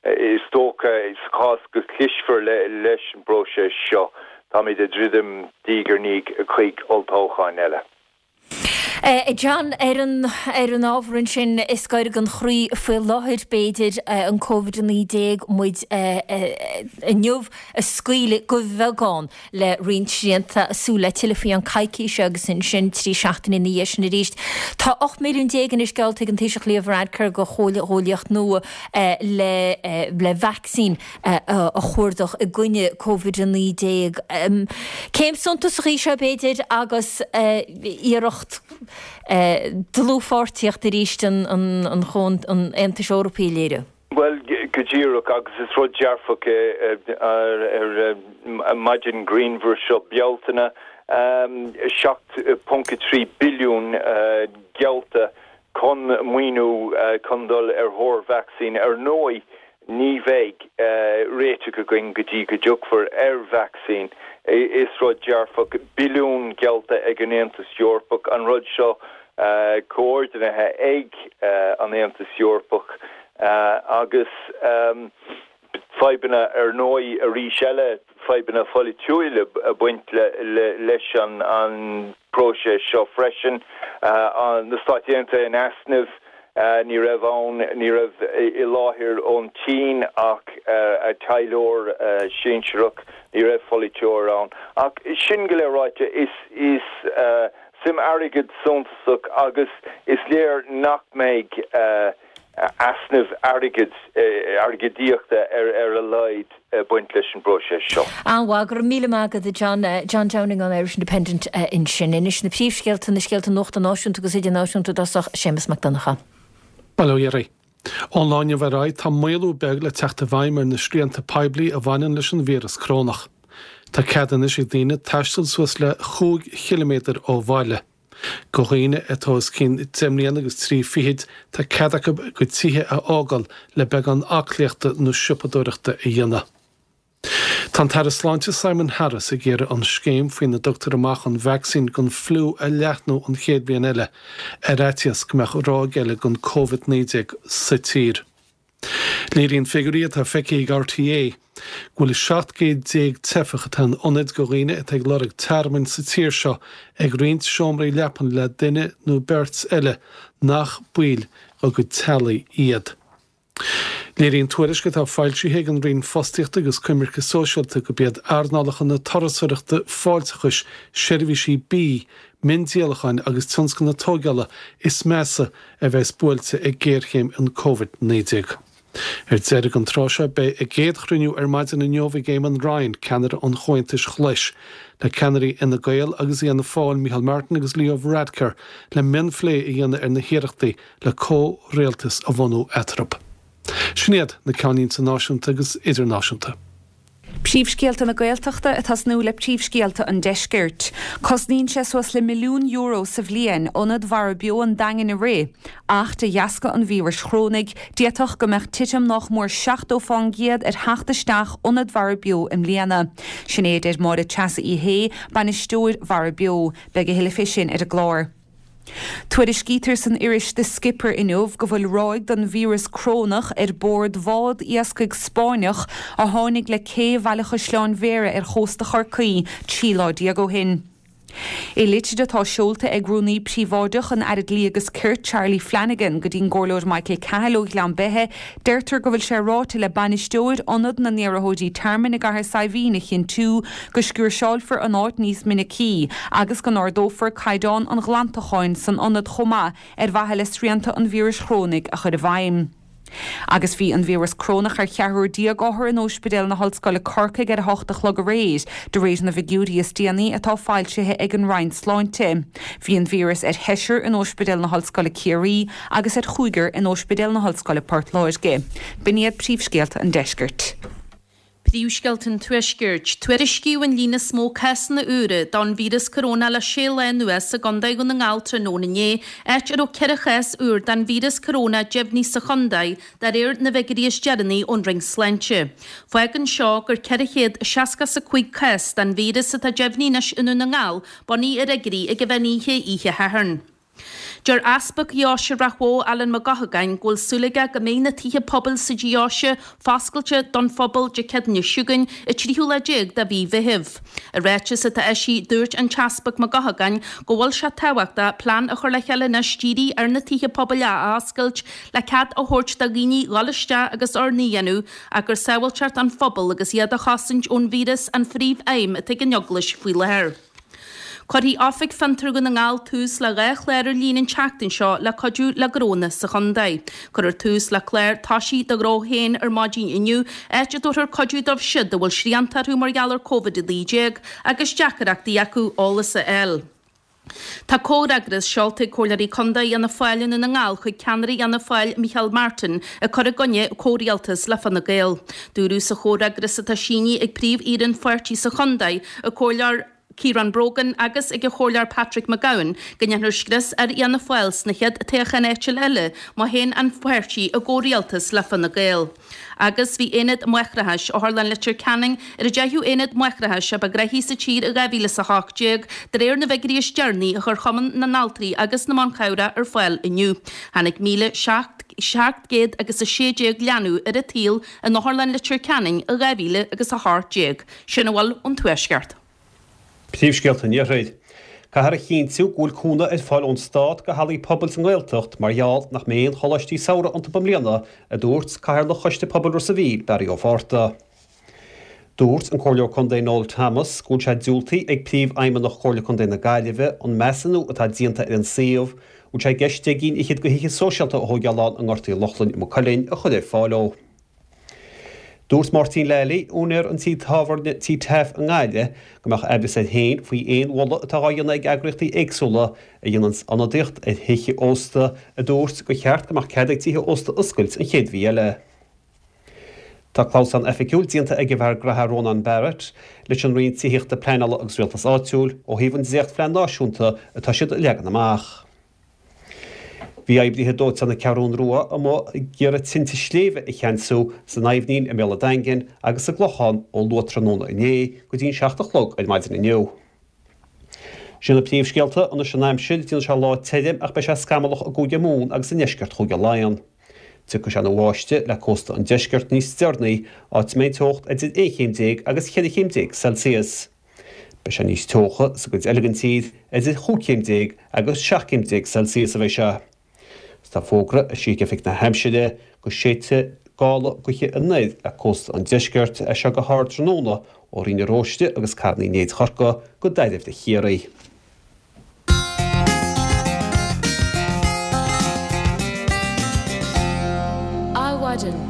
is dócha sa chás go gclisfear leis an bpróiseas seo, táimid ag druidim diaidh ar ndiaidh chuig olltoghcháin eile. A John, ar an ar an ábhar ansin, is gaire don chroí faoi láthair, b'fhéidir, an Covid-19, muid inniu ag scaoileadh de bheagán le roinnt srianta, súil le tuilleadh faoi cheann coicíse agus ansin 3 seachtaine ina dhiaidh sin arís. Tá 18 milliún anois geallta ag an Taoiseach Leo Varadkar do chomhghuaillíocht nua le le vacsaín a chuardach i gcoinne Covid-19. Céim suntasach í seo b'fhéidir agus iarracht dlúthpháirtíocht arís an an Aontais Eorpaigh a léiriú. Bhuel, go díreach, agus is rud dearfach é ar maidin ghrianmhar seo Bealtaine, 7.3 billiún geallta chun maoiniú chun dul ar thóir vacsaín. Ar ndóigh, ní bheidh réiteach againn go dtí go dtiocfar ar vacsaín. Is rud dearfach, billiún geallta ag an Aontas Eorpach, an rud seo comhordaithe ag an Aontas Eorpach agus fadhbanna ar ndóigh arís eile, fadhbanna pholaitiúil ag baint leis an bpróiseas seo freisin. Na Stáit Aontaithe in easnamh, ní raibh ann, ní raibh i láthair ón tSín ach a taidhleoir sinsearach, ní raibh polaiteoir ann. Ach sin go léir ráite, is suim airgid suntasach agus is léir nach mbeidh easnamh airgid, airgeadaíochta ar a laghad ag baint leis an bpróiseas seo. An-mhaith, go raibh míle maith agat a John. John Downing ón Irish Independent ansin. Anois na príomhscéalta, na scéalta nuachta náisiúnta agus idirnáisiúnta i dtosach, Séamus Mac Donncha. Bail ó Dhia oraibh. Ón lá inniu ar aghaidh tá maolú beag le teacht i bhfeidhm ar na srianta poiblí a bhaineann leis an víreas corónach. Tá cead anois ag daoine taisteal suas le chúig chiliméadar ó bhaile. Do dhaoine atá os cionn 10 mbliana agus 3 fichid, tá cead acu a gcuid tithe a fhágáil le beagán aclaíochta nó siopadóireachta a dhéanamh. Tá an tAire Sláinte Simon Harris ag iarraidh an scéim faoina dtugtar amach an vacsaín don fliú a leathnú an chéad bhliain eile, ar fhaitíos go mbeadh ráig eile den Covid-19 sa tír. Léiríonn figiúirí atá feicthe ag RTÉ go bhfuil 17 gcéad teifeach atá in ionaid do dhaoine atá ag lorg tearmainn sa tír seo ag roinnt seomraí leapan le duine nó beirt eile nach baill dá gcuid teaghlaigh iad. Léiríonn tuairisc atá foilsithe ag an Roinn Fostaíochta agus Coimirce Sóisialta gurb iad earnálacha na turasóireachta, fáilteachais, seirbhísí bídh, miondíolacháin agus tionscal na tóigeála is measa a bheas buailte ag géarchéim an Covid-19. Ar deireadh an tráth seo beidh a gcéad chruinniú ar maidin inniu ag Eamon Ryan, ceannaire an Chomhaontais Ghlais, le ceannairí Fhine Gael agus Fhianna Fáil, Micheál Martin agus Leo Varadkar, le mionphlé a dhéanamh ar na hiarrachtaí le comhrialtas a bhunú eatarthu. Sin iad na ceannlínte náisiúnta agus idirnáisiúnta. Príomhscéalta na Gaeltachta ag tosnú le príomhscéalta an Deiscirt. Cosnaíonn sé suas le milliún euro sa bhliain ionad Mhara Beo an Daingin a rith, ach de dheasca an víris chorónaigh, d'fhéadfadh go mbeadh titim nách mór 70 fán gcéad ar theacht isteach ionad Mhara Beo i mbliana. Sin é a deir Máire Treasa Uí Shé, bainisteoir Mhara Beo. Beidh a thuilleadh fé sin ar an gclár. Tuairiscítear san iris The Skipper inniu go bhfuil ráig den víreas crónach ar bord bhád iascaigh Spáinneach a tháinig le cé Bhaile Chaisleáin Bhéarra ar chósta Chorcaí 13 lá ó shin. I litir atá seolta ag Rúnaí Príobháideach an Aire Dlí agus Cirt, Charlie Flanagan, go dtí'n gComhairleoir Michael Cahill ó Ghleann Beithe, deirtear go bhfuil sé ráite le bainisteoir Ionad na nIarrthóirí Tearmainn i gCathair Saidhbhín a chinntiú go sciúirseáilfear an áit níos minicí agus go n-ardófar caighdeán an ghlantacháin san ionad chomh maith ar mhaithe le srianta an víris chorónaigh a chur i bhfeidhm. Agus bhí an víreas corónach ar cheathrar déag othar in Ospidéal na hOllscoile Corcaigh ar a hocht a chlog aréir, de réir na bhfigiúirí is déanaí atá foilsithe ag an Roinn Sláinte. Bhí an víreas ar sheisear in Ospidéal na hOllscoile Ciarraí agus ar chúigear in Ospidéal na hOllscoile Port Láirge. B'in iad príomhscéalta an deiscirt. Príomhscéalta an Tuaiscirt. Tuairiscíodh an líon is mó cásanna úra don víreas coróna le sé lá anuas i gContae Dhún na nGall tráthnóna inné, áit a raibh 4 chás úr den víreas coróna deimhnithe sa chontae, de réir na bhfigiúirí is deireanaí ón Roinn Sláinte. Fágann seo gur 465 cás den víreas atá deimhnithe anois i ndún na nGall, bunaithe ar fhigiúirí ag an mheán oíche oíche Shathairn. Deir Easpag Dheoise Ráth Bhoth, Alan Mac Eochagáin, go bhfuil súil aige go mbeidh na tithe pobail sa deoise foscailte don phobal Dé Céadaoine seo chugainn, an tríú lá déag de mhí Mheithimh. I ráiteas atá eisithe, dúirt an tEaspag Mac Eochagáin go bhfuil sé tábhachtach plean a chur le chéile anois dírithe ar na tithe pobail a athoscailt le cead a thabhairt do dhaoine dhul isteach agus urnaí a dhéanamh ach gur sábháilteacht an phobail agus iad a chosaint ón víreas an phríomh-aidhm atá ag an Eaglais faoi láthair. Cuirfidh Oifig Fiontar Dhún na nGall tús le 2 chlár ar líne an tseachtain seo le cuidiú le gnónna sa chontae. Cuirfear tús le clár Toisigh do Ghnó Féin ar maidin inniu, áit a dtabharfar cuidiú dóibh siud a bhfuil srianta orthu mar gheall ar Covid-19 agus deacaireachtaí acu eolas a fháil. Tá comhfhreagras seolta ag Comhairleoirí Contae Fhianna Fáil i nDún na nGall chuig ceannaire Fhianna Fáil Micheál Martin ag cur i gcoinne comhrialtas le Fine Gael. Dúradh sa chomhfhreagras atá sínithe ag príomh-aoire an pháirtí sa chontae, an Comhairleoir Ciarán Brogan agus ag an Chomhairleoir Patrick McGowan go ndéanfar scrios ar Fhianna Fáil sna chéad toghcháin áitiúil eile má théann an páirtí i gcomhrialtas le Fine Gael. Agus bhí Aonad Máithreachais Otharlann Leitir Ceanainn ar an deichiú aonad máithreachais a ba ghnoithí sa tír i 2018 de réir na bhfigiúirí is deireanaí a chuir Cumann na nAltraí agus na mBan Cabhrach ar fáil inniu. Tháinig 1,700 agus 16 leanbh ar an tsaol in Otharlann Leitir Ceanainn i 2018. Sin a bhfuil ón Tuaisceart. Príomhscéalta an Iarthair. Caithfear a chinntiú go bhfuil cúnamh ar fáil ón Stát go hallaí pobail sa nGaeltacht mar gheall nach mbeidh aon choláistí samhraidh iontu i mbliana, a dúirt Cathaoirleach Choiste Pobail Ros a' Mhíl, Barry Ó Fátharta. Dúirt an Comhairleoir Contae Noel Thomas go bhfuil sé diúltaithe ag Príomhfheidhmeannach Chomhairle Contae na Gaillimhe an measúnú atá déanta ar an suíomh, a bhfuil sé i gceist deich gcinn fhichead de thithe sóisialta a thóigeáil ann i nGort Uí Lochlainn i Maigh Cuilinn, a chur ar fáil ó. Dúirt Máirtín Lally, úinéir an tí tábhairne Tí Taaffe i nGaillimh, go mbeadh aimhreas air féin faoi aon mholadh atá á dhéanamh ag eagraíochtaí éagsúla a dhéananns ionadaíocht ar thithe ósta, a dúirt gur cheart go mbeadh cead ag tithe ósta oscailt an chéad mhí eile. Tá clamhsán oifigiúil déanta ag an bhfear graithe Rónán Barrett leis an Roinn Tithíochta, Pleanála agus Rialtais Áitiúil ó thaobh an dréachtphlean náisiúnta atá siad a leagan amach. Bhí oibrithe dóiteáin na Ceathrún Rua amuigh ag iarraidh tinte sléibhe a cheansú san Aibhnín i mbéal an Daingin agus sa gClochán ó luath-tráthnóna inné go dtí an 7 a chlog ar maidin inniu. Sin na príomhscéalta, anois an aimsir, déanfaidh sé lá tirim ach beidh sé scamallach i gCúige Mumhan agus i ndeisceart Chúige Laighean. Tiocfaidh sé ina bháisteach le cósta an deiscirt níos deireanaí, áit a mbeidh an teocht idir 11 chéim agus 14 chéim Celsius. Beidh sé níos teocha sa gcuid eile den tír, idir chúig chéim déag agus 17 chéim Celsius a bheidh sé. Is tá fógra eisithe ag Oifig na hAimsire go séidfidh gála gaoithe anoir le cósta an deiscirt as seo go hard tráthnóna ó Rinn na Róiste agus Carn Uí Néid Chorcaí go Dairbhre Chiarraí. Adhmhaidin.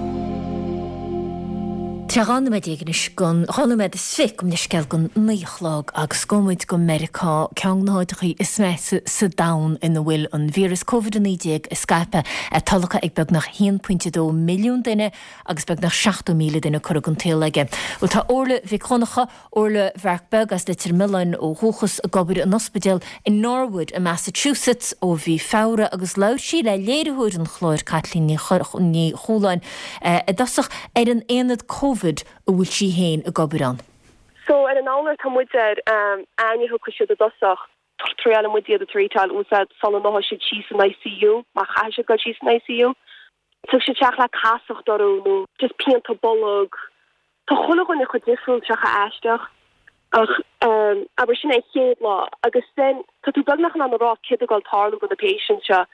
Tá 12 nóiméad anois don, 12 nóiméad is 20 gabh mo leithscéal don 9 a chlog agus gabhfaidh muid go Meiriceá, ceann de na háiteachaí is measa sa domhan ina bhfuil an víreas Covid-19 ag scaipeadh, é tolgtha ag beagnach 1.2 milliún duine agus beagnach 70,000 duine curtha den tsaol aige. Bhuel tá Orla Mhic Dhonncha, Orla Bhearc Beag as Leitir Mealláin ó dhúchas ag obair in ospidéal i Norwood i Massachusetts ó mhí Feabhra agus labhair sí le léiritheoir an chláir Caitlín Ní Chualáin i dtosach ar an aonad Covid a bhfuil sí féin ag obair ann. So ar an iolar tá muid ar, aithne thiocfaidh siad i dtosach, triaileann muid iad a treatáil úsáid sula ndeachaigh siad síos san ICU, má chaithfidh siad dul síos san ICU. Tiocfaidh siad isteach le casacht orthu nó just pianta bolg. Tá chuile dhuine chomh difriúil, tá sé chomh aisteach. Ach abair sin é an chéad lá agus then tá tú beagnach in ann a rá céard atá ag gabháil tarlú do na patients seo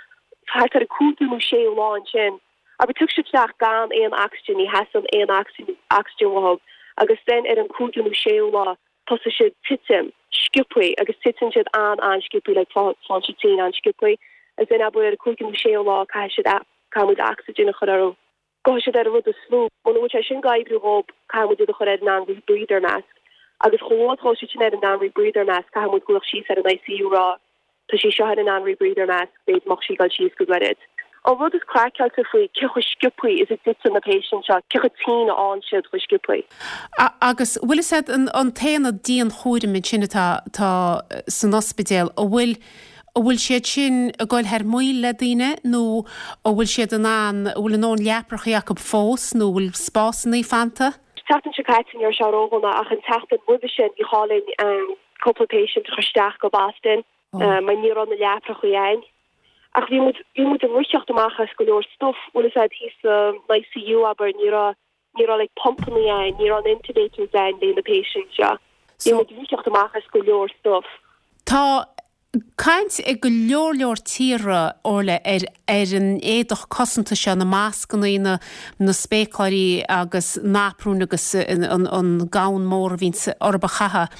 thart ar an cúigiú nó séú lá ansin. Abair tiocfaidh siad isteach gan aon oxygen, ní theastaíonn aon oxygen oxygen uathu agus then ar an cúigiú nó séú lá tosaíonn siad titim sciobthaí agus titeann siad an-an-sciobthaí like faigheann siad tinn an-sciobthaí agus then abair ar an cúigiú nó séú lá caithfidh siad caithfidh muid oxygen a chur orthu. Gabhfaidh siad ar an rud is lú. Muna bhfuil sé sin ag oibriú dhób, caithfidh muid iad a chur ar an non-rebreather mask. Agus chomh luath is a ghabhfaidh siad sin ar an non-rebreather mask, caithfidh muid glaoch síos ar an ICU rá, tá sí seo ar an non-rebreather mask, b'fhéidir mbeadh sí ag dul síos go gairid. An rud is craiceáilte faoi, cé chomh sciobthaí is a dtiteann na patients seo, cé chomh tinn a fhaigheann siad chomh sciobthaí. Agus bhfuil fhios a'd, an t-aonad dianchúraim ansin atá, atá san ospidéal, an bhfuil, An bhfuil siad sin ag goil thar maoil le daoine nó an bhfuil siad in ann, an bhfuil a ndóthain leaprachaí acu fós nó an bhfuil spásannaí fanta? Tseachtain seo caite ní raibh sé ródhona ach an tseachtain roimhe sin bhí chá linn cúpla patient a chur isteach go Boston mar ní raibh na leaprachaí a'inn. Ach bhí muid, bhí muid ag ritheacht amach as go leor stuff, bhfuil fhios a'd thíos san ICU abair, ní raibh, ní raibh like pumpannaí a'inn, ní raibh na intubators a'inn le na patients seo. Bhí muid ag ritheacht amach as go leor stuff. Tá caint ag go leor leor tíortha, Orla, ar ar an éadach cosanta seo, na mascannaí, na na spéacláirí agus na aprúin agus an an gown mór a bhíonns orthub a chaitheamh.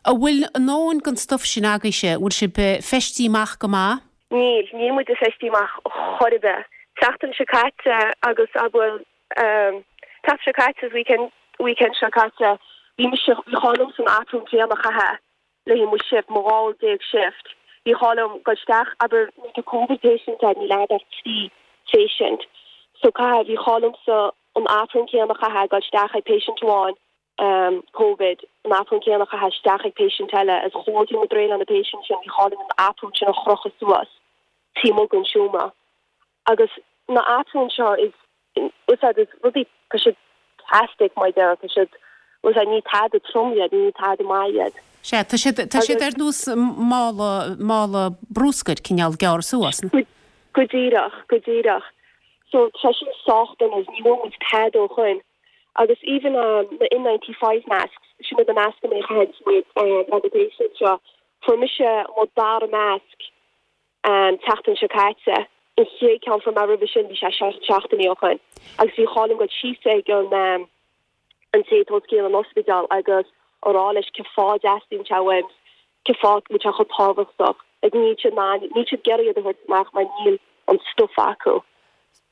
An bhfuil a ndóthain den stuif sin agaibhse? An bhfuil sibh feistithe amach go maith? Níl, níl muid feistithe amach chor ar bith. Tseachtain seo caite agus abair tseachtain seo caite weekend weekend seo caite bhí mise bhí chá liomsa an aprún céanna a chaitheamh le haghaidh mo shift, mo 12 uair shift. Bhí chá liom dul isteach abair nuair atá Covid patient ann níl a'd ach 3 phatient so caithfidh bhí chá liomsa an aprún céanna a chaitheamh dul isteach ag patient amháin Covid, an aprún céanna a chaitheamh isteach ag patient eile agus chomh luath is a bhí muid réidh le na patient sin bhí chá linn an aprún sin a chrochadh suas taobh amuigh den seomra. Agus na aprúin seo is úsáid is rudaí tá siad plastic mar a déarfá tá siad úsáid ní tada trom iad ní tada maith iad. Sea, tá siad tá siad ar nós mála mála brúscair cineál gearrtha suas. Go díreach, go díreach. So tá sin sách dona ní bhfuair muid tada ó shoin. Agus even na N95 masks, sin iad na mascanna a chaitheann muid le na patients seo, fuair mise mo dara masc an tseachtain seo caite. An chéad ceann fuair mé roimhe sin bhí sé 7 seachtainí ó shoin. Agus bhí chá liom dul síos ag an an té atá os cionn an ospidéal agus a rá leis cén fáth a dteastaíonn sé uaim, cén fáth go bhfuil sé chomh tábhachtach. Like níl siad in ann, níl siad ag iarraidh iad a thabhairt amach mar níl an stuif acu.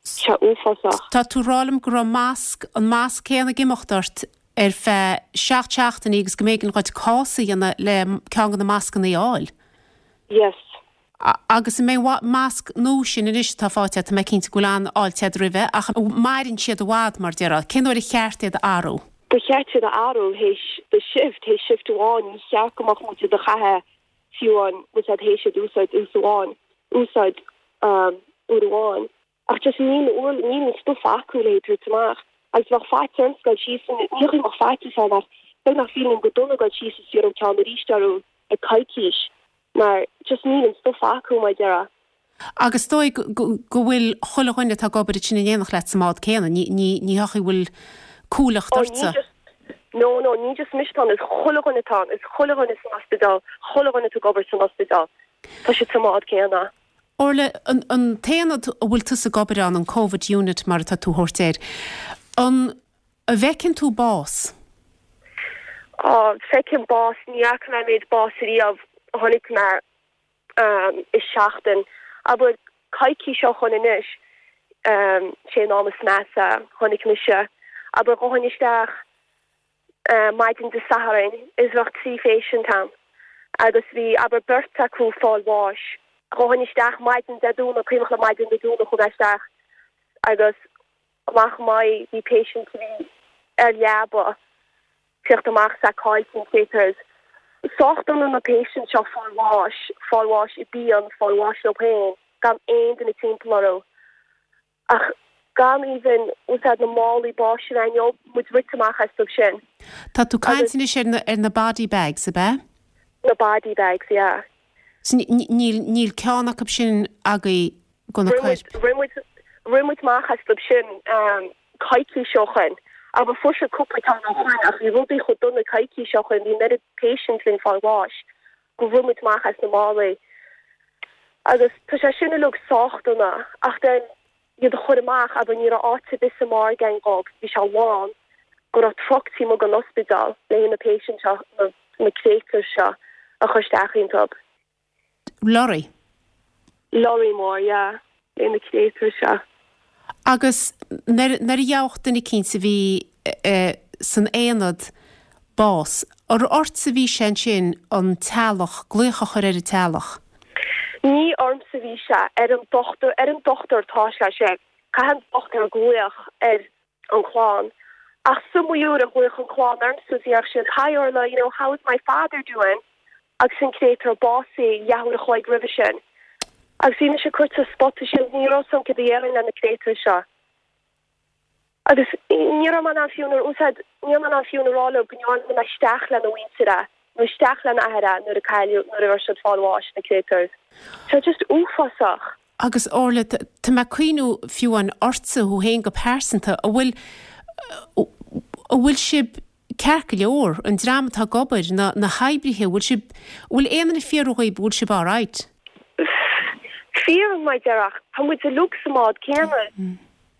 Tá sé uafásach. Tá tú ag rá liom go raibh masc, an masc céanna ag imeacht ort ar feadh 7 seachtainí agus go mb'éigean dhuit cás a dhéanamh le ceann de na mascannaí a fháil? Yes. Agus an mbeidh masc nua sin anois atá faighte agat, tá mé cinnte go bhfuil an-fháilte agat roimhe, ach an maireann siad i bhfad, mar déarfá? Cén uair a cheart iad a athrú? Ba cheart iad a athrú théis do shift, théis shift amháin, ní cheart go mbeadh muid iad a chaitheamh fiú an bhfuil siad théis iad úsáid ús amháin, úsáid uair amháin. Ach just níl na uair, níl an stuif acu le tabhairt amach. Agus bheadh faitíos ormsa dul síos, ní hé go mbeadh faitíos orm ach beagnach feeling go dona dul síos is iarraidh ceann arís orthu ag coicís mar just níl an stuif acu mar a déarfá. Agus is dóigh go bhfuil chuile dhuine atá ag obair ansin in éineacht leat sa mbád céanna, ní ní hé go bhfuil cúlacht ortsa. No, no, ní just mise atá ann, is chuile dhuine atá ann, is chuile dhuine san ospidéal, chuile dhuine atá ag obair san ospidéal, tá siad sa mbád céanna. Orla, an an t-aonad a bhfuil tusa ag obair ann, an Covid Unit mar atá tú a thabhairt air, an An bhfeiceann tú bás? Á, feicim bás. Ní fhaca mé an méid bás ariamh a chonaic mé i seachtain. Abair, coicís ó shoin anois, sé an am is measa a chonaic mise. Abair, ghabhfainn isteach maidin Dé Sathairn is bheadh 3 phatient ann agus bhí, abair, beirt acu ag fáil bháis. Ghabhfainn isteach maidin Dé Domhnaigh, cuimhneach liom maidin Dé Domhnaigh chuaigh mé isteach agus amach m'aghaidh, bhí patient a bhí ar leaba ag tíocht amach is é caillte an theatres. Sách dona na patients seo fáil bháis, fáil bháis i bpian, fáil bháis leo féin, gan aon duine timpeall orthu. Ach gan even úsáid na málaí báis a bheith leo, muid rite amach astu sin. Tá tú ag caint anois ar na, ar na body bags, ab ea? Na body bags, yeah. So níl, níl ceann acu sin agaibh go na coirp. Rith muid, rith muid amach astu sin coicís ó shoin. Abair fuair siad cúpla ceann ó shoin ach bhí rudaí chomh dona coicís ó shoin, bhí an oiread patients linn fáil bháis gur rith muid amach as na málaí. Agus tá sé sin uilig sách dona ach then iad a chur amach, abair ní raibh áit ar bith sa morgue againn dhób, bhí sé lán, go raibh truck taobh amuigh den ospidéal le haghaidh na patients seo, na na créatúir seo a chur isteach iontub. Lorry. Lorry mór, yeah, le na créatúir seo. Agus nuair a gheobhadh duine eicínt a bhí san aonad bás, ar ortsa a bhí sé ansin an teaghlach, glaoch a chur ar an teaghlach? Ní ormsa a bhí sé, ar an dochtúir, ar an dochtúir atá sé sin. Caithfidh an dochtúir glaoch ar an chlann. Ach is iomaí uair a ghlaoch an chlann ormsa is dhéarfadh siad, Hi Orla, you know, how is my father doing? Agus an créatúr básaithe leathuair a chloig roimhe sin. Agus bhí mise curtha sa spota sin, ní raibh 's a'm céard a dhéarfainn le na créatúir seo. Agus ní raibh mé in ann fiú a úsáid, ní raibh mé in ann fiú a rá leo go ndearna mé isteach lena mhuintir é, nó isteach lena athair é nuair a cailleadh, nuair a raibh siad fáil bháis, na créatúir. Tá sé just uafásach. Agus Orla, tá mé ag cuimhniú fiú amháin ortsa, thú féin go pearsanta, an bhfuil, an bhfuil sibh ceart go leor, an dream atá ag obair, na, na hoibrithe, an bhfuil sibh, an bhfuil aon duine ag fiafraí dhíbh, an bhfuil sibh alright? Fíor mar a déarfá, tá muid uilig sa mbád céanna.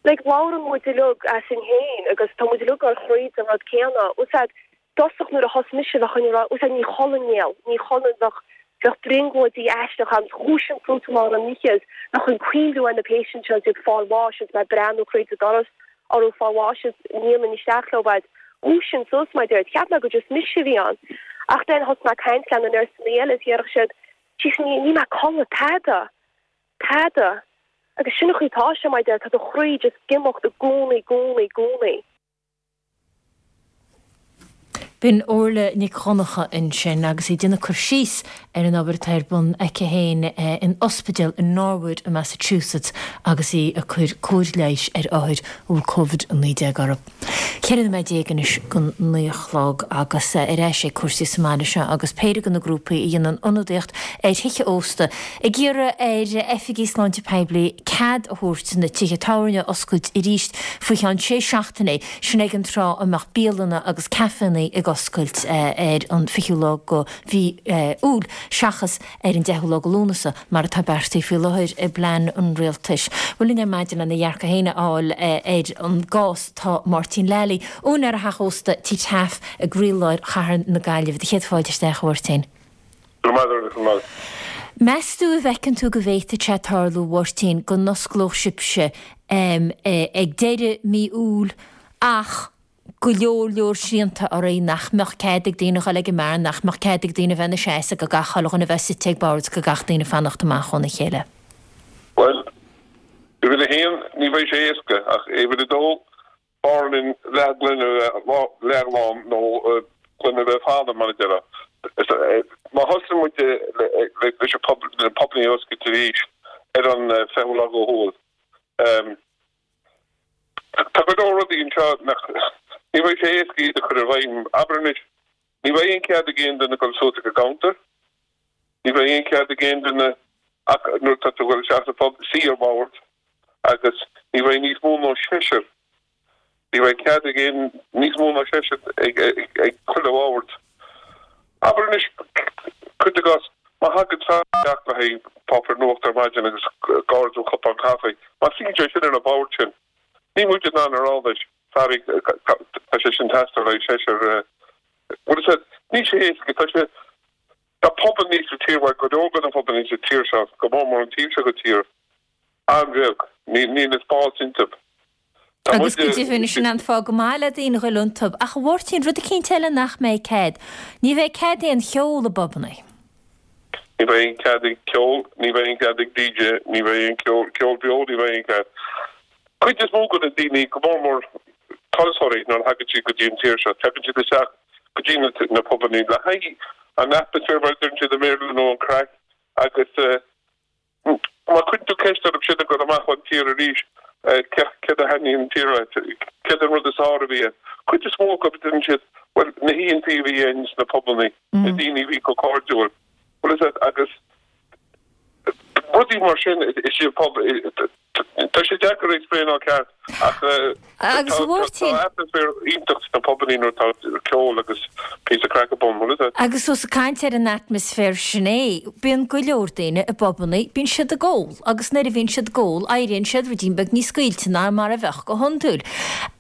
Like, labhrann muid uilig easainn féin agus tá muid uilig ag dul thríd an rud céanna. Úsáid, dtosach nuair a thosaigh mise bheadh an rá úsáid ní chodlainn néal, ní chodlainn bheadh bheadh brionglóidí aisteacha agam, dhúiseoinn suas i lár an oíche is bheadh an cuimhniú ar na patients seo is iad fáil bháis is mé ag breathnú thríd an doras orthu fáil bháis is ní dhéanfainn isteach leo b'fhéidir. Dhúiseoinn suas mar a déarfá, cheap mé gur just mise a bhí ann. Ach then thosaigh mé ag caint le na nurseanna eile is dhéarfadh siad, Jesus ní níl mé ag codladh tada, tada. Agus sin an chaoi atá sé mar a déarfá, tá do chroí just ag imeacht i gcónaí, gcónaí, gcónaí. B'in Orla Nic Dhonncha ansin agus í ag déanamh cur síos ar an obair atá ar bun aici féin in ospidéal i Norwood i Massachusetts agus í ag cur cóir leighis ar othair a bhfuil Covid-19 orthu. 14 nóiméad anois don 9 a chlog agus ar ais ag cúrsaí sa mbaile seo agus péire de na grúpaí a dhéanann ionadaíocht ar thithe ósta ag iarraidh ar oifigigh sláinte poiblí cead a thabhairt na tithe tábhairne a oscailt arís faoi cheann sé seachtainí, sin ag an tráth a mbeadh bialanna agus caiféanna ag oscailt ar an 20ú lá de mhí Iúil seachas ar an 10ú lá de Lúnasa mar atá beartaithe faoi láthair i bplean an rialtais. Bhuel linn ar maidin lena dhearcadh féin a fháil ar an gcás tá Máirtín Lally, úinéir theach ósta Tí Taaffe i gcroílár chathair na Gaillimhe. Do chéad fáilte isteach a Mháirtín. Go raibh maith agat, go raibh maith. Meas tú an bhfeiceann tú go bhféadfadh sé tarlú, a Mháirtín, go n-osclódh sibhse ag deireadh mí Iúil ach go leor leor srianta oraibh, nach mbeadh cead ag daoine a dhul ag an mbeár, nach mbeadh cead ag daoine bheith ina seasamh, go gcaithfeadh chuile dhuine a bheith suite ag bord, go gcaithfeadh daoine fanacht amach óna chéile? Bhuel, uimhir a haon, ní bheidh sé éasca, ach uimhir a dó, B'fhearr linn leathghloine a bheith leathlán nó gloine a bheith fada, mar a déarfá. Má thosaíonn muid leis na pubannaí a oscailt arís ar an 20ú lá de Iúil, tá go leor rudaí anseo nach, ní bheidh sé éasca iad a chur i bhfeidhm. Abair anois, ní bheidh aon chead ag aon duine dul suas ag an gcounter, ní bheidh aon chead ag aon duine ach nuair atá tú ag dul isteach sa phub, suí ar bhord. agus ní bheidh níos mó ná seisear, ní bheidh cead ag aon níos mó ná seisear ag ag chuile bhord. Abair anois, cuir i gcás, má thagann fear isteach le haghaidh páipéar nuachta ar maidin agus ag ordú cupán caife, má suíonn sé sin ar an bhord sin, níl muid in ann a rá leis, sorry, tá sé sin teastáil le haghaidh seisear, bhfuil a fhios agat, níl sé éasca, tá sé. Tá pubannaí sa tír, bhuel, go leor de na pubannaí sa tír seo, go mór mór an taobh seo den tír, an-bheag. Níl na spás iontu. Tá Agus go deimhin, sin an fáth go maith le daoine a ghoil iontu. Ach a Mháirtín, rud eicínt eile nach mbeidh cead, ní bheidh cead aon cheol i bpubannaí. Ní bheidh aon cead ag ceol, ní bheidh aon cead ag DJ, ní bheidh aon ceol, ceol beo, ní bheidh aon cead. Cuid is mó de na daoine, go mór mór turasóirí, nuair a thagann siad go dtí an tír seo, tagann siad isteach go dtí na pubannaí le haghaidh an atmaisféar, mar a deireann siad i mBéarla, nó an craic agus má chuireann tú ceist orthu siad ag dul amach ón tír arís, céard a thaitníonn an tír leat, céard an rud is fearr a bhí ann. Cuid is mó acu deireann siad, bhuel, na hoícheantaí a bhí againn sna pubannaí, na daoine a bhí chomh cairdiúil, bhfuil a fhios agat, agus. Rudaí mar sin is ea pub, tá sé deacair a explain-áil ceart ach Agus a Mháirtín. tá atmaisféar iontach sna pubannaí nuair atá ceol agus píosa craic ar bun, bhfuil fhios a'd? Agus ós ag caint ar an atmaisféar sin é, bíonn go leor daoine i bpubannaí, bíonn siad ag ól agus nuair a bhíonn siad ag ól éiríonn siad ruidín beag níos scaoilte ná mar a bheadh go hiondúil.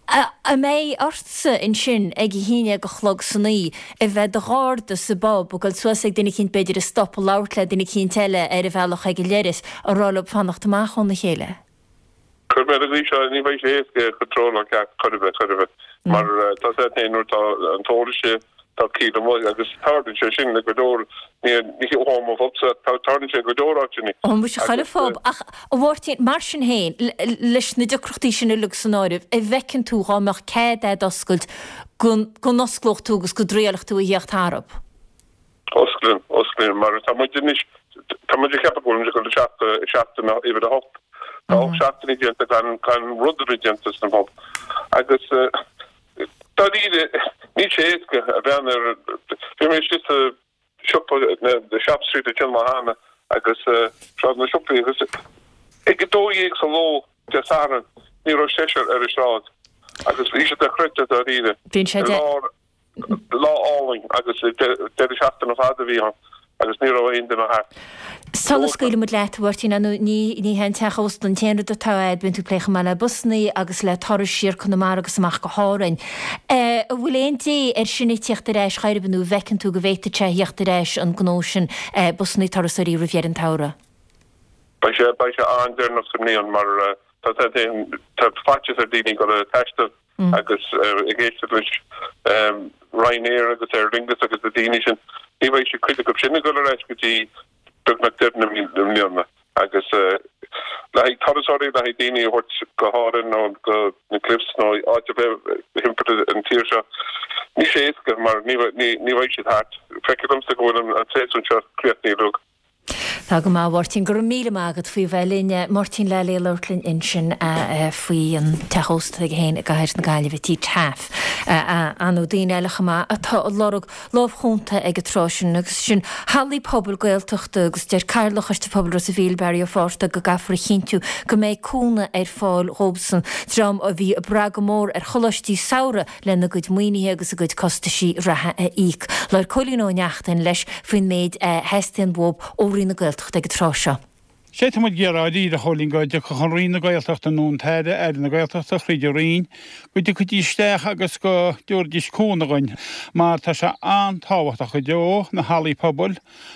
An mbeidh ortsa ansin ag a haon déag a chlog san oíche a bheith do gharda sa bpub, ag dul suas ag duine eicínt b'fhéidir ag stopadh labhairt le duine eicínt eile ar a bhealach ag an leithreas, a rá leo fanacht amach óna chéile? Cuir mé ar an gcaoi seo, ní bheidh sé éasca control-áil ceart chor ar bith, chor ar bith, mar tá a fhios a'd féin nuair atá an t-ól istigh, tá ciall amuigh agus tarlaíonn sé sin le go leor, ní hamháin mo phubsa, tarlaíonn sé i go leor áiteanna. Ó muise chuile phub, ach a Mháirtín, mar sin féin, leis na deacrachtaí sin uilig san áireamh, an bhfeiceann tú dhá mbeadh cead a'd oscailt go n-osclódh tú agus go dtriailfeadh tú a thíocht tharab? Osclaím, osclaím, mar tá muid anois, tá muid ag ceapadh go bhfuil muid ag dul isteach i seachtain uimhir a hocht. Tá 8 seachtainí déanta gan, gan rud ar bith déanta sna pub. Agus dáiríre, níl sé éasca a bhean ar, bhí mé istigh sa siopa, na Shop Street ansin lá cheana agus Sráid na Siopaí agus ag a 12 sa ló Dé Sathairn ní raibh seisear ar an sráid agus bhí sé dochreidte dáiríre. Bíonn sé I lár Lá álainn agus deireadh seachtaine fada a bhí ann agus ní raibh aon duine thart. Sula scaoilfidh muid leat, a Mháirtín, ar ndóigh ní hé an teach ósta an t-aon rud atá a'd, bíonn tú ag plé chomh maith le busannaí agus le turais siar Conamara agus amach go hÁrainn. An bhfuil aon dé air sin ag tíocht ar ais chor ar bith nó an bhfeiceann tú go bhféadfadh sé a thíocht ar ais an gnó sin busannaí turasóirí roimh dheireadh an tsamhraidh? Beidh sé, beidh sé an-deireanach sa mbliain mar tá, tá faitíos ar daoine dul ag taisteal. Agus ag éisteacht leis Ryanair agus Aer Lingus agus na daoine sin, ní bheidh siad, cuid acu sin ag dul ar ais go dtí beagnach deireadh na mbliana. Agus le haghaidh turasóirí, le haghaidh daoine a thabhairt go hÁrainn nó go na Cliffs nó áit ar bith thimpeall an tír seo, níl sé éasca mar ní bheidh siad thart. Feictear domsa go bhfuil an séasúr seo críochnaithe uilig. Tá go maith, a Mháirtín. Go raibh míle maith agat faoi bheith linn. Máirtín Lally ag labhairt linn ansin faoi an teach ósta aige féin i gcathair na Gaillimhe, Tí Taaffe. Ar ndóigh daoine eile chomh maith atá ag lorg lámh chúnta ag an tráth sin agus sin hallaí pobail Gaeltachta agus deir Cathaoirleach Choiste Pobail Ros an Mhíl, Barry Ó Fátharta go gcaithfear a chinntiú go mbeidh cúnamh ar fáil dhóibhsan, dream a bhí ag brath go mór ar choláistí samhraidh lena gcuid maoinithe agus a gcuid costaisí reatha a íoc. Labhair Cóilín Ó Neachtain leis faoin méid a theastaíonn uathu ó Roinn na Gaeltachta ag an tráth seo. Sé tá muid ag iarraidh dáiríre, a Chóilín, go dtiocfadh an Roinn na Gaeltachta nó an tAire, Aire na Gaeltachta, thríd an Roinn, go dtiocfaidís isteach agus go dtabharfaidís cúnamh dhuinn mar tá sé an-tábhachtach go deo, na hallaí pobail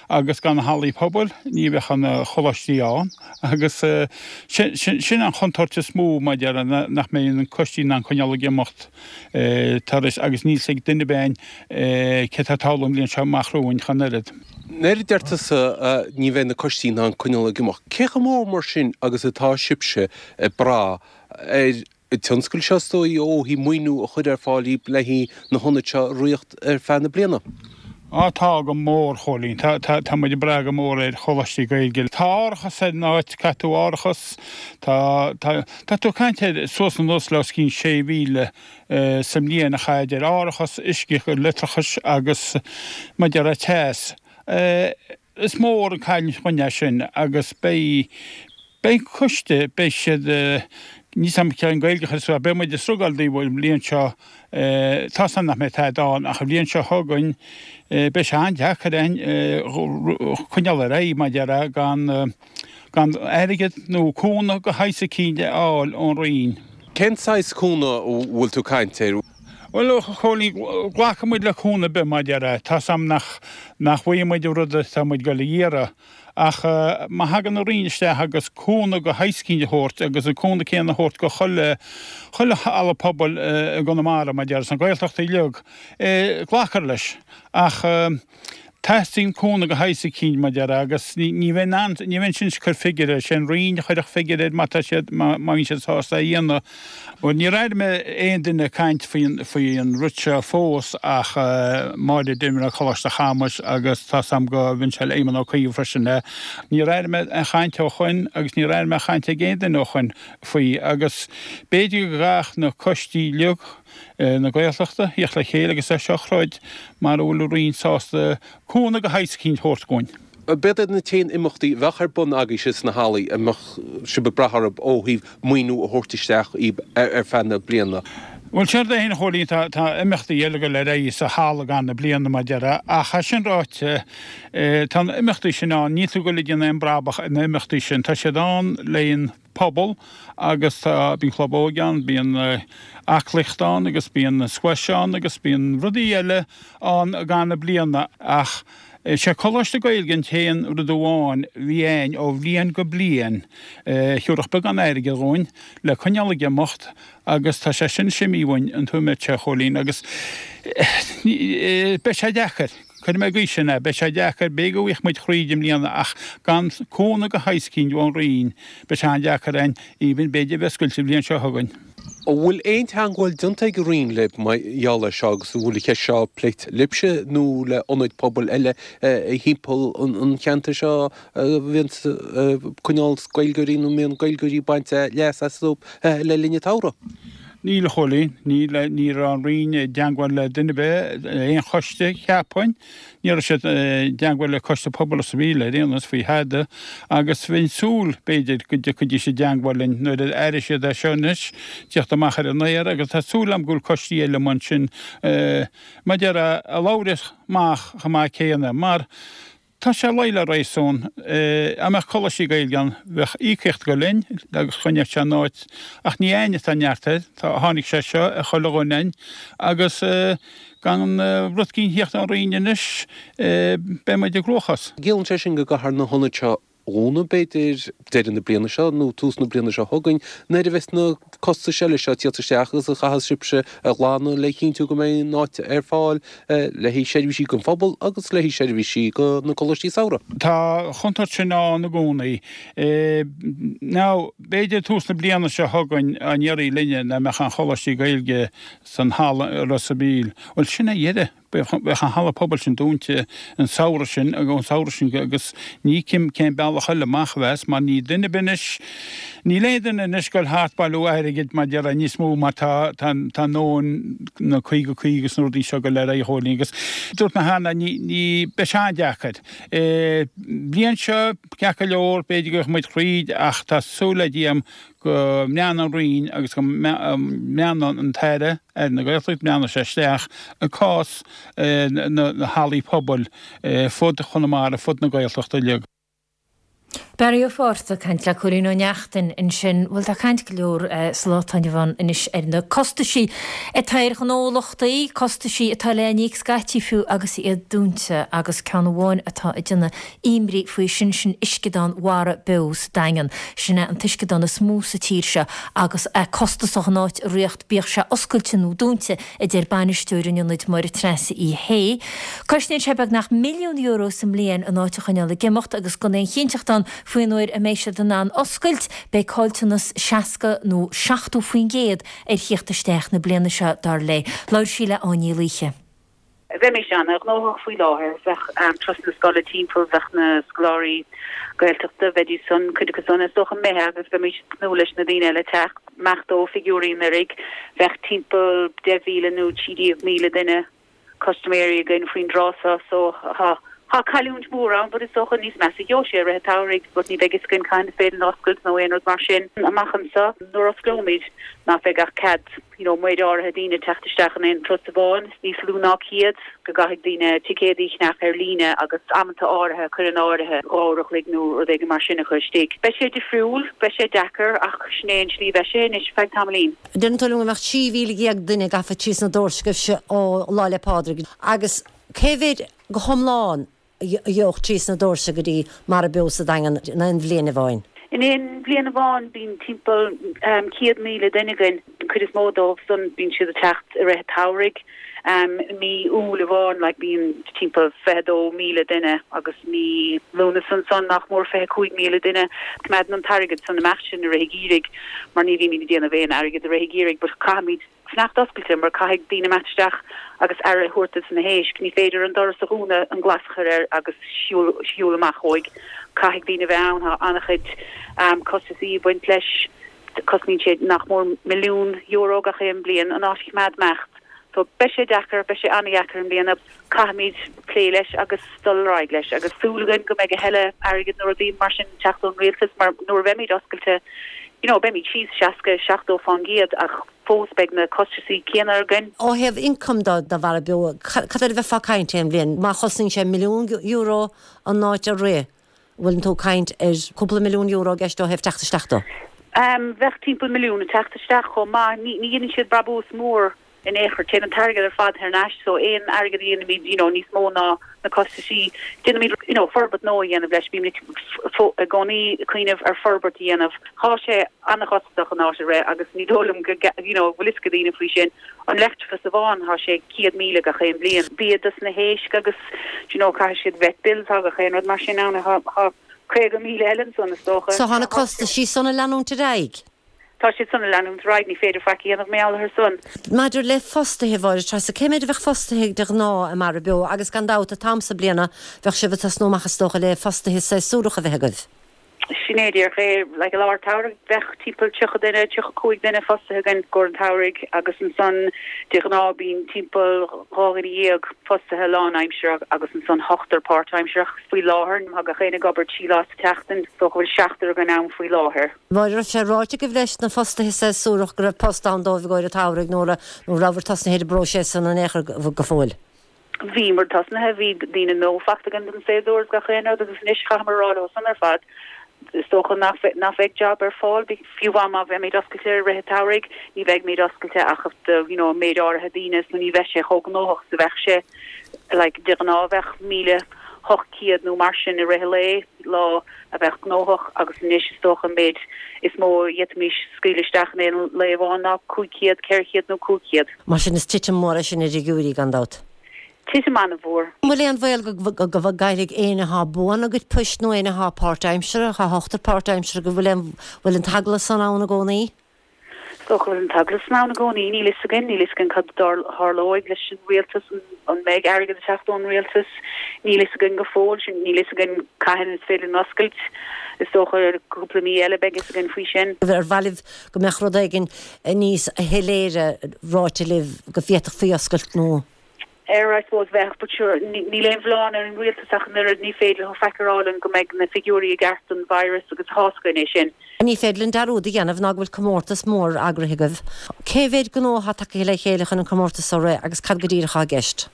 agus gan na hallaí pobail ní bheadh na coláistí ann agus sin an chontúirt is mó mar a déarfá nach mbeidh na coistí in ann coinneáil ag imeacht tar éis agus níl 's ag duine ar bith céard atá ag tarlú an bhliain seo amach romhainn ach an oiread. Nuair a deir tusa ní bheidh na coistí in ann coinneáil ag imeacht, cé chomh mór mar sin agus atá sibhse ag brath ar an tionscal seo is dóigh ó thaobh maoiniú a chur ar fáil daoibh le haghaidh na hionaid seo a ritheacht ar feadh na bliana? Á tá go mór, a Chóilín. Tá, tá, tá muid ag brath go mór ar choláistí Gaeilge. Tá árachas ar an áit, caithfidh tú árachas, tá, tá, tá tú ag caint ar suas anuas le os cionn 6,000 sa mbliain a chaithfid ar árachas, uisce, leictreachas agus mar a déarfá teas. Is mór an cailliúint dhuinn é sin agus beidh, beidh coiste, beidh siad, níl 's a'm cén Gaeilge a chur suas, beidh muid ag strugáil daoibh an bhliain seo, tá's a'm nach mbeidh tada ann ach an bhliain seo chugainn beidh sé an-deacair againn coinneáil ar aghaidh mar a déarfá gan, gan airgead nó cúnamh de shaghas eicínt a fháil ón Roinn. Cén saghas cúnamh a bhfuil tú ag caint air? Bhuel, a Chóilín, glacfaidh muid le cúnamh ar bith, mar a déarfá. Tá's a'm nach, nach bhfaighidh muid an rud atá muid ag dul a iarraidh, ach má thagann an Roinn isteach agus cúnamh de shaghas eicínt a thabhairt agus an cúnamh céanna a thabhairt go chuile, chuile halla pobail i gConamara, mar a déarfá, sna Gaeltachtaí uilig, glacfar leis. Ach. Teastaíonn cúnamh de shaghas eicínt, mar a déarfá, agus ní bheinn in ann, ní bheinn in ann cur figiúr air, sé an Roinn a chuirfeadh figiúr air má tá siad, má bhíonn siad sásta é a dhéanamh. Bhuel, níor airigh mé aon duine ag caint faoin, faoi an rud seo fós ach Máire Denvir ó Choláiste Chamuis agus tá's a'm go mbíonn sé le Éamon Ó Cuív freisin. Níor airigh mé aon chaint ó shoin agus níor airigh mé aon chaint ag aon duine ó shoin faoi agus b'fhéidir go gcaithfeadh na coistí uilig, na Gaeltachta, thíocht le chéile agus é seo a throid mara bhfuil an Roinn sásta cúnamh de shaghas eicínt a thabhairt dhúinn. B'iad na t-aon imeachtaí a bheadh ar bun agaibhse sna hallaí a mbeadh sibh ag brath orthu ó thaobh maoiniú a thabhairt isteach dhaoib ar feadh na bliana. Bhuel, séard é féin a Chóilín, tá tá imeachtaí eile ag dul ar aghaidh sa halla i gcaitheamh na bliana mar a déarfá, ach é sin ráite, tá na imeachtaí sin ann, níl tú ag dul ag déanamh aon brabach ar na imeachtaí sin, tá siad ann le an pobal agus tá, bíonn club óige ann, bíonn aclaíocht ann agus bíonn squash ann agus bíonn rudaí eile ann i gcaitheamh na bliana ach is é Coláiste Gaeilge an t-aon rud amháin a bhí a'inn ó bhliain go bliain a thiúrfadh beagán airgid dhúinn le coinneáil ag imeacht agus tá sé sin anois imithe uainn an nóiméad seo, a Chóilín, agus beidh sé deacair, cuirfidh mé an gcaoi sin é, beidh sé deacair, b'fhéidir go bhfaighidh muid thríd i mbliana ach gan cúnamh de shaghas eicínt ón Roinn beidh sé an-deacair a'inn even b'fhéidir a bheith oscailte an bhliain seo chugainn. An bhfuil aon teangmháil déanta ag an Roinn libh mar gheall air seo agus an bhfuil an cheist seo pléite libhse nó le ionaid pobail eile thimpeall an cheantair seo a bhíonn ag coinneáil Gaeilgeoirí nó a mbíonn Gaeilgeoirí ag baint leas astu le linn an tsamhraidh? Níl, a Chóilín. Níl, ní raibh an Roinn i dteangmháil le duine ar bith, aon choiste, cheapfainn. Ní raibh siad i dteangmháil le Coiste Pobail Ros an Mhíl ar aon nós faoi thada agus bheinn ag súil, b'fhéidir, go dtiocfaidís i dteangmháil linn nuair a airigh siad é seo anois tíocht amach ar an aer agus tá súil agam go bhfuil coistí eile amuigh ansin mar a déarfá a labhras amach chomh maith céanna mar tá sé luí le réasún. Dá mbeadh coláistí Gaeilge ann bheadh íocaíocht ag dul linn agus choinneodh sé an áit ach ní a'inn atá neart air, tá, tháinig sé seo ar chuile dhuine a'inn agus. Gan rud eicínt a thíocht ón Roinn anois, beidh muid i gcruachás. Ciallaíonn sé sin go gcaithfear na hionaid seo a dhúnadh, b'fhéidir, deireadh na bliana seo nó tús na bliana seo chugainn, nuair a bheas na costais eile seo ag tíocht isteach agus a chaithfeas sibhse a ghlanadh le cinntiú go mbeidh an áit ar fáil le haghaidh seirbhísí don phobal agus le haghaidh seirbhísí do na coláistí samhraidh. Tá an chontúirt sin ann i gcónaí. Now, b'fhéidir tús na bliana seo chugainn, dá n-éireodh linne, nach mbeadh aon choláistí Gaeilge san halla i Ros a' Mhíl. Bhuel, sin é a dheireadh. Bheadh an halla pobail sin dúnta an samhradh sin, ón samhradh sin agus ní fheicim cén bealach eile amach a bheas mar níl duine ar bith anois, níl aon duine anois ag dul thart bailiú airgid mar déarfá níos mó mar tá, tá, tá ndóin na 50, 50 agus na rudaí seo go léir a Chóilín agus dúirt mé cheana ní, ní, beidh sé an-deacair. Bliain seo, ceart go leor, b'fhéidir go bhfaighidh muid thríd ach tá súil le Dia agam go mbreathnóidh an Roinn agus go mbreathnóidh an tAire, Aire na Gaeltachta, mbreathnóidh sé isteach i gcás na hallaí pobail fud Chonamara, fud na Gaeltachta uilig. Barry Ó Fátharta ag caint le Cóilín Ó Neachtain ansin. Bhuel, tá caint go leor sa lá atá inniu ann anois ar na costaisí atá ar ghnólachtaí, costaisí atá le n-íoc scaití fiú agus iad dúnta agus ceann amháin atá ag déanamh imní faoi sin, sin Uisceadán Mhara Beo sa Daingean. Sin é an t-uisceadán is mó sa tír seo agus é costasach an áit a ritheacht bíodh sé oscailte nó dúnta, a deir bainisteoir an ionaid Máire Treasa Uí Shé. Cosnaíonn sé beagnach €1,000,000 sa mbliain an áit a choinneáil ag imeacht agus gan aon chinnteacht ann faoin uair a mbeidh siad in ann oscailt, beidh caillteanas 60 nó 70% ar thíocht isteach na bliana seo, dar léi. Labhair sí le Áine Ní Laoithe. Bheimis ana-ghnóthach faoi láthair. Bheadh turasanna scoile timpeall, bheadh na scoláirí Gaeltachta, bheidís san, cuid acu san is dócha imithe agus bheimis ag tnúth leis na daoine eile teacht. Amach ó figiúirí anuraidh, bheadh timpeall 10,000 nó 13,000 duine, custaiméirí againn faoin dtráth seo so tá tá cailliúint mhór ann but is dócha níos measa a gheobhaidh sé i rith an tsamhraidh but ní bheidh fhios againn cathain is féidir linn oscailt nó aon rud mar sin amach anseo. Nuair a osclóimid nach bheidh ach cead you know méid áirithe daoine teacht isteach in aon turas amháin, níos lú ná 100, go gcaithfidh daoine ticéadaí a cheannach ar líne agus amanta áirithe a chur in áirithe, 2 uair a chloig nó rud éigin mar sin a chur istigh. Beidh sé difriúil, beidh sé deacair ach sin é an tslí a bheidh sé anois feadh tamaillín. Deireann tú liom go mbeadh 13,000 duine gafa trí sna doirse agaibhse ó Lá 'le Pádraig agus cé mhéad go hiomlán a gheobhadh trí sna doirse go dtí Mara Beo sa Daingean in aon bhliain amháin? In aon bhliain amháin bíonn timpeall 100,000 duine againn. An cuid is mó dóibh san bíonn siad ag teacht i rith an tsamhraidh. I mí Iúil amháin like bíonn timpeall 22,000 duine agus mí Lúnasa ansan nach mór 25,000 duine. Coimeádann an t-airgead san imeacht sin i rith an gheimhridh mar ní bhímid ag déanamh aon airgead i rith an gheimhridh but caithfimid fanacht oscailte mar caithfidh daoine imeacht isteach agus aire a thabhairt dos na héisc. Ní féidir an doras a dhúnadh, an glas a chur air agus siúl amach uaidh. Caithfidh daoine a bheith ann. Tá an-chuid costasaí ag baint leis. Cosnaíonn sé nach mór €1,000,000 gach aon bliain an áit a choimeád imeacht. So beidh sé deacair, beidh sé an-dheacair i mbliana. Caithfimid plé leis agus dul ar aghaidh leis agus súil againn go mbeidh a thuilleadh airgid nó rudaí mar sin ag teacht ón rialtas mar nuair a bheimid oscailte, you know, beimid síos 60, 70 fán gcéad ach fós beidh na costaisí céanna againn. Ó thaobh ioncaim do do Mhara Beo, cad air a bheifeá ag caint aon bhliain? Má chosnaíonn sé milliún euro an áit a rith, bhfuileann tú ag caint ar cúpla milliún euro i gceist ó thaobh teacht isteach dó? Bheadh timpeall milliún ag teacht isteach chomh maith. Ní dhéanann siad brabús mór in aon chor. Téann an t-airgead ar fad thar n-ais so aon airgead a dhéanaimid you know níos mó ná na costaisí, déanaimid you know forbairt nua a dhéanamh leis. Bímid i gcónaí ag cuimhneamh ar forbairt a dhéanamh. Tá sé an-chostasach an áit a rith agus ní dóigh liom go you know bhfuil fhios ag daoine faoi sin. An leictreachas amháin, tá sé 100,000 gach aon bhliain. Bia dos na héisc agus do you know caithfidh siad vet bills, tá gach aon rud mar sin ann. Tá 50,000 eile ansan is dócha. So tá na costaisí san ag leanúint ar aghaidh? Tá siad san ag leanúint ar aghaidh, ní féidir faic a dhéanamh mar gheall orthu san. Maidir le fostaithe, a Mháire Treasa, cé méid a bheadh fostaithe de ghnáth i Mara Beo agus gan dabht an t-am so bliana bheadh sibh ag tosnú amach is dócha le fostaithe séasúrach a bheith agaibh? Sin é díreach é. Like i lár an tsamhraidh bheadh timpeall 30 duine, 35 duine fostaithe againn i gcomhair an tsamhraidh agus ansan de ghnáth bíonn timpeall 12 dhuine fostaithe lánaimseartha agus ansan ochtar páirtaimseartha. Faoi láthair tá gach éinne ag obair trí lá sa tseachtain, is dócha go bhfuil seachtar againn ann faoi láthair. An raibh sé ráite agaibh leis na fostaithe séasúrach go raibh post ann dóibh i gcomhair an tsamhraidh nó an rabhabhair tosnaithe ar an bpróiseas san in aon chor go fóill? Bhíomar tosnaithe, bhí daoine nua fachta againn don séasúr is gach aon rud agus anois chaitheamar a rá leo san ar fad, is dócha nach nach bheidh job ar fáil, fiú amháin má bheimid oscailte i rith an tsamhraidh, ní bheimid oscailte ach do you know méid áirithe daoine so ní bheidh sé chomh gnóthach is a bheadh sé, like de ghnáth bheadh 1,800 nó mar sin i rith an lae, lá a bheadh gnóthach agus anois is dócha an méid is mó a d'fhéadfaimis scaoileadh isteach in aon lae amháin ná 500, 400 nó 500. Mar sin is titim mhór é sin ar fhigiúirí, gan dabht. Titim an-mhór. An bhfuil aon bhaol go gcaillfidh éinne atá buan a gcuid poist nó éinne atá páirtaimseartha, tá ochtar páirtaimseartha, go bhfuil aon, bhfuil an t-eagla san ann i gcónaí? Is dócha go bhfuil an t-eagla san ann i gcónaí. Níl fhios againn. Níl fhios againn cad a tharlóidh leis an rialtas, an mbeidh airgead ag teacht ón rialtas. Níl fhios againn go fóill. Sin, níl fhios againn cathain is féidir linn oscailt. Is dócha cúpla mí eile beidh fhios againn faoi sin. Ar mhaith libh go mbeadh rud éigin níos shoiléire ráite libh go bhféadfadh faoi oscailt nó. Ar, I suppose, bheadh, but sure, níl aon mhilleán ar an rialtas ach an oiread, ní féidir leo faic a rá linn go mbeidh na figiúirí i gceart don virus agus tá's againn é sin. Ní féidir linn dearúd a dhéanamh ná go bhfuil comórtas mór eagraithe agaibh. Cé mhéid gnó atá tagtha le chéile chun an comórtas seo a rith agus cad go díreach atá i gceist?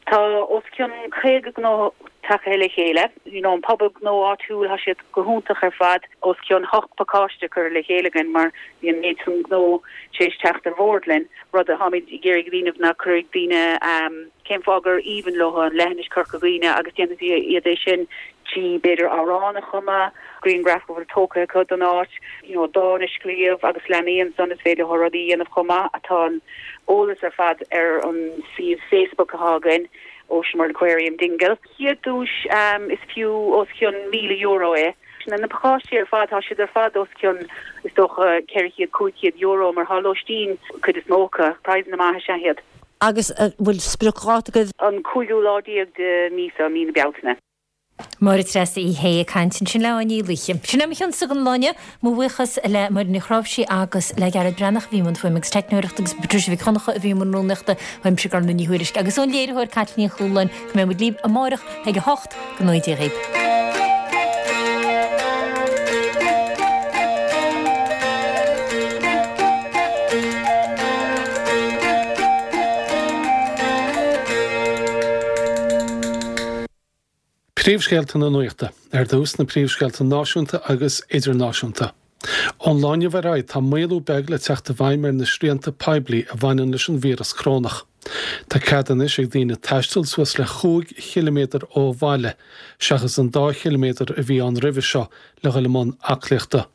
Tá os cionn 50 gnó tagtha le chéile. You know, an pobal gnó áitiúil, tá siad go hiontach ar fad. Os cionn hocht pacáiste curtha le chéile againn mar bhí an méid san gnó tar éis teacht ar bhord linn. Rud a tháimid ag iarraidh a dhéanamh ná cuirfidh daoine cén fáth gur aoibhinn leo an leithinis Corca Dhuibhne agus déanfaidh iad é sin trí b'fhéidir amhrán a chumadh, grianghraf a bhfuil tógtha acu don áit, you know dán a scríobh agus leanaí ansan is féidir leo rudaí a dhéanamh chomh maith. Tá an eolas ar fad ar an suíomh Facebook atá againn, Ocean World Aquarium Dingle. Chéad duais is fiú os cionn €1,000 é. Na pacáistí ar fad, tá siad ar fad os cionn is dócha 400, €500 mar tá lóistín cuid is mó acu. Praghsanna maithe is ea iad. Agus an bhfuil spriocdháta agaibh? An cúigiú lá déag de mí seo, mí na Bealtaine. Máire Treasa Uí Shé ag caint ansin le Áine Ní Laoithe. Sin é mo chionsa don lá inniu. Mo bhuíochas le Máire Ní Chráimhsí agus le Gearóid Breathnach a bhí i mbun fuaime agus teicneoireachta agus Patricia Mhic Dhonncha a bhí i mbun rúnaíochta. Uaimse Gormfhlaith Ní Thuairisg agus ón léiritheoir Caitlín Ní Chualáin go mbeidh muid libh amárach ag 8. Go ngnóthaí Dia dhaoibh. Príomhscéalta na Nuachta. Ar dtús, na príomhscéalta náisiúnta agus idirnáisiúnta. Ón lá inniu ar aghaidh tá maolú beag le teacht i bhfeidhm ar na srianta poiblí a bhaineann leis an víreas corónach. Tá cead anois ag daoine taisteal suas le chúig chiliméadar ó bhaile, seachas an dá chiliméadar a bhí ann roimhe seo, le dhul i mbun aclaíochta.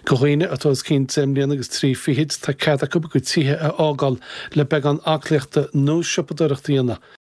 Do dhaoine atá os cionn deich mbliana agus trí fichid, tá cead acu a gcuid tithe a fhágáil le beagán aclaíochta nó siopadóireacht a dhéanamh.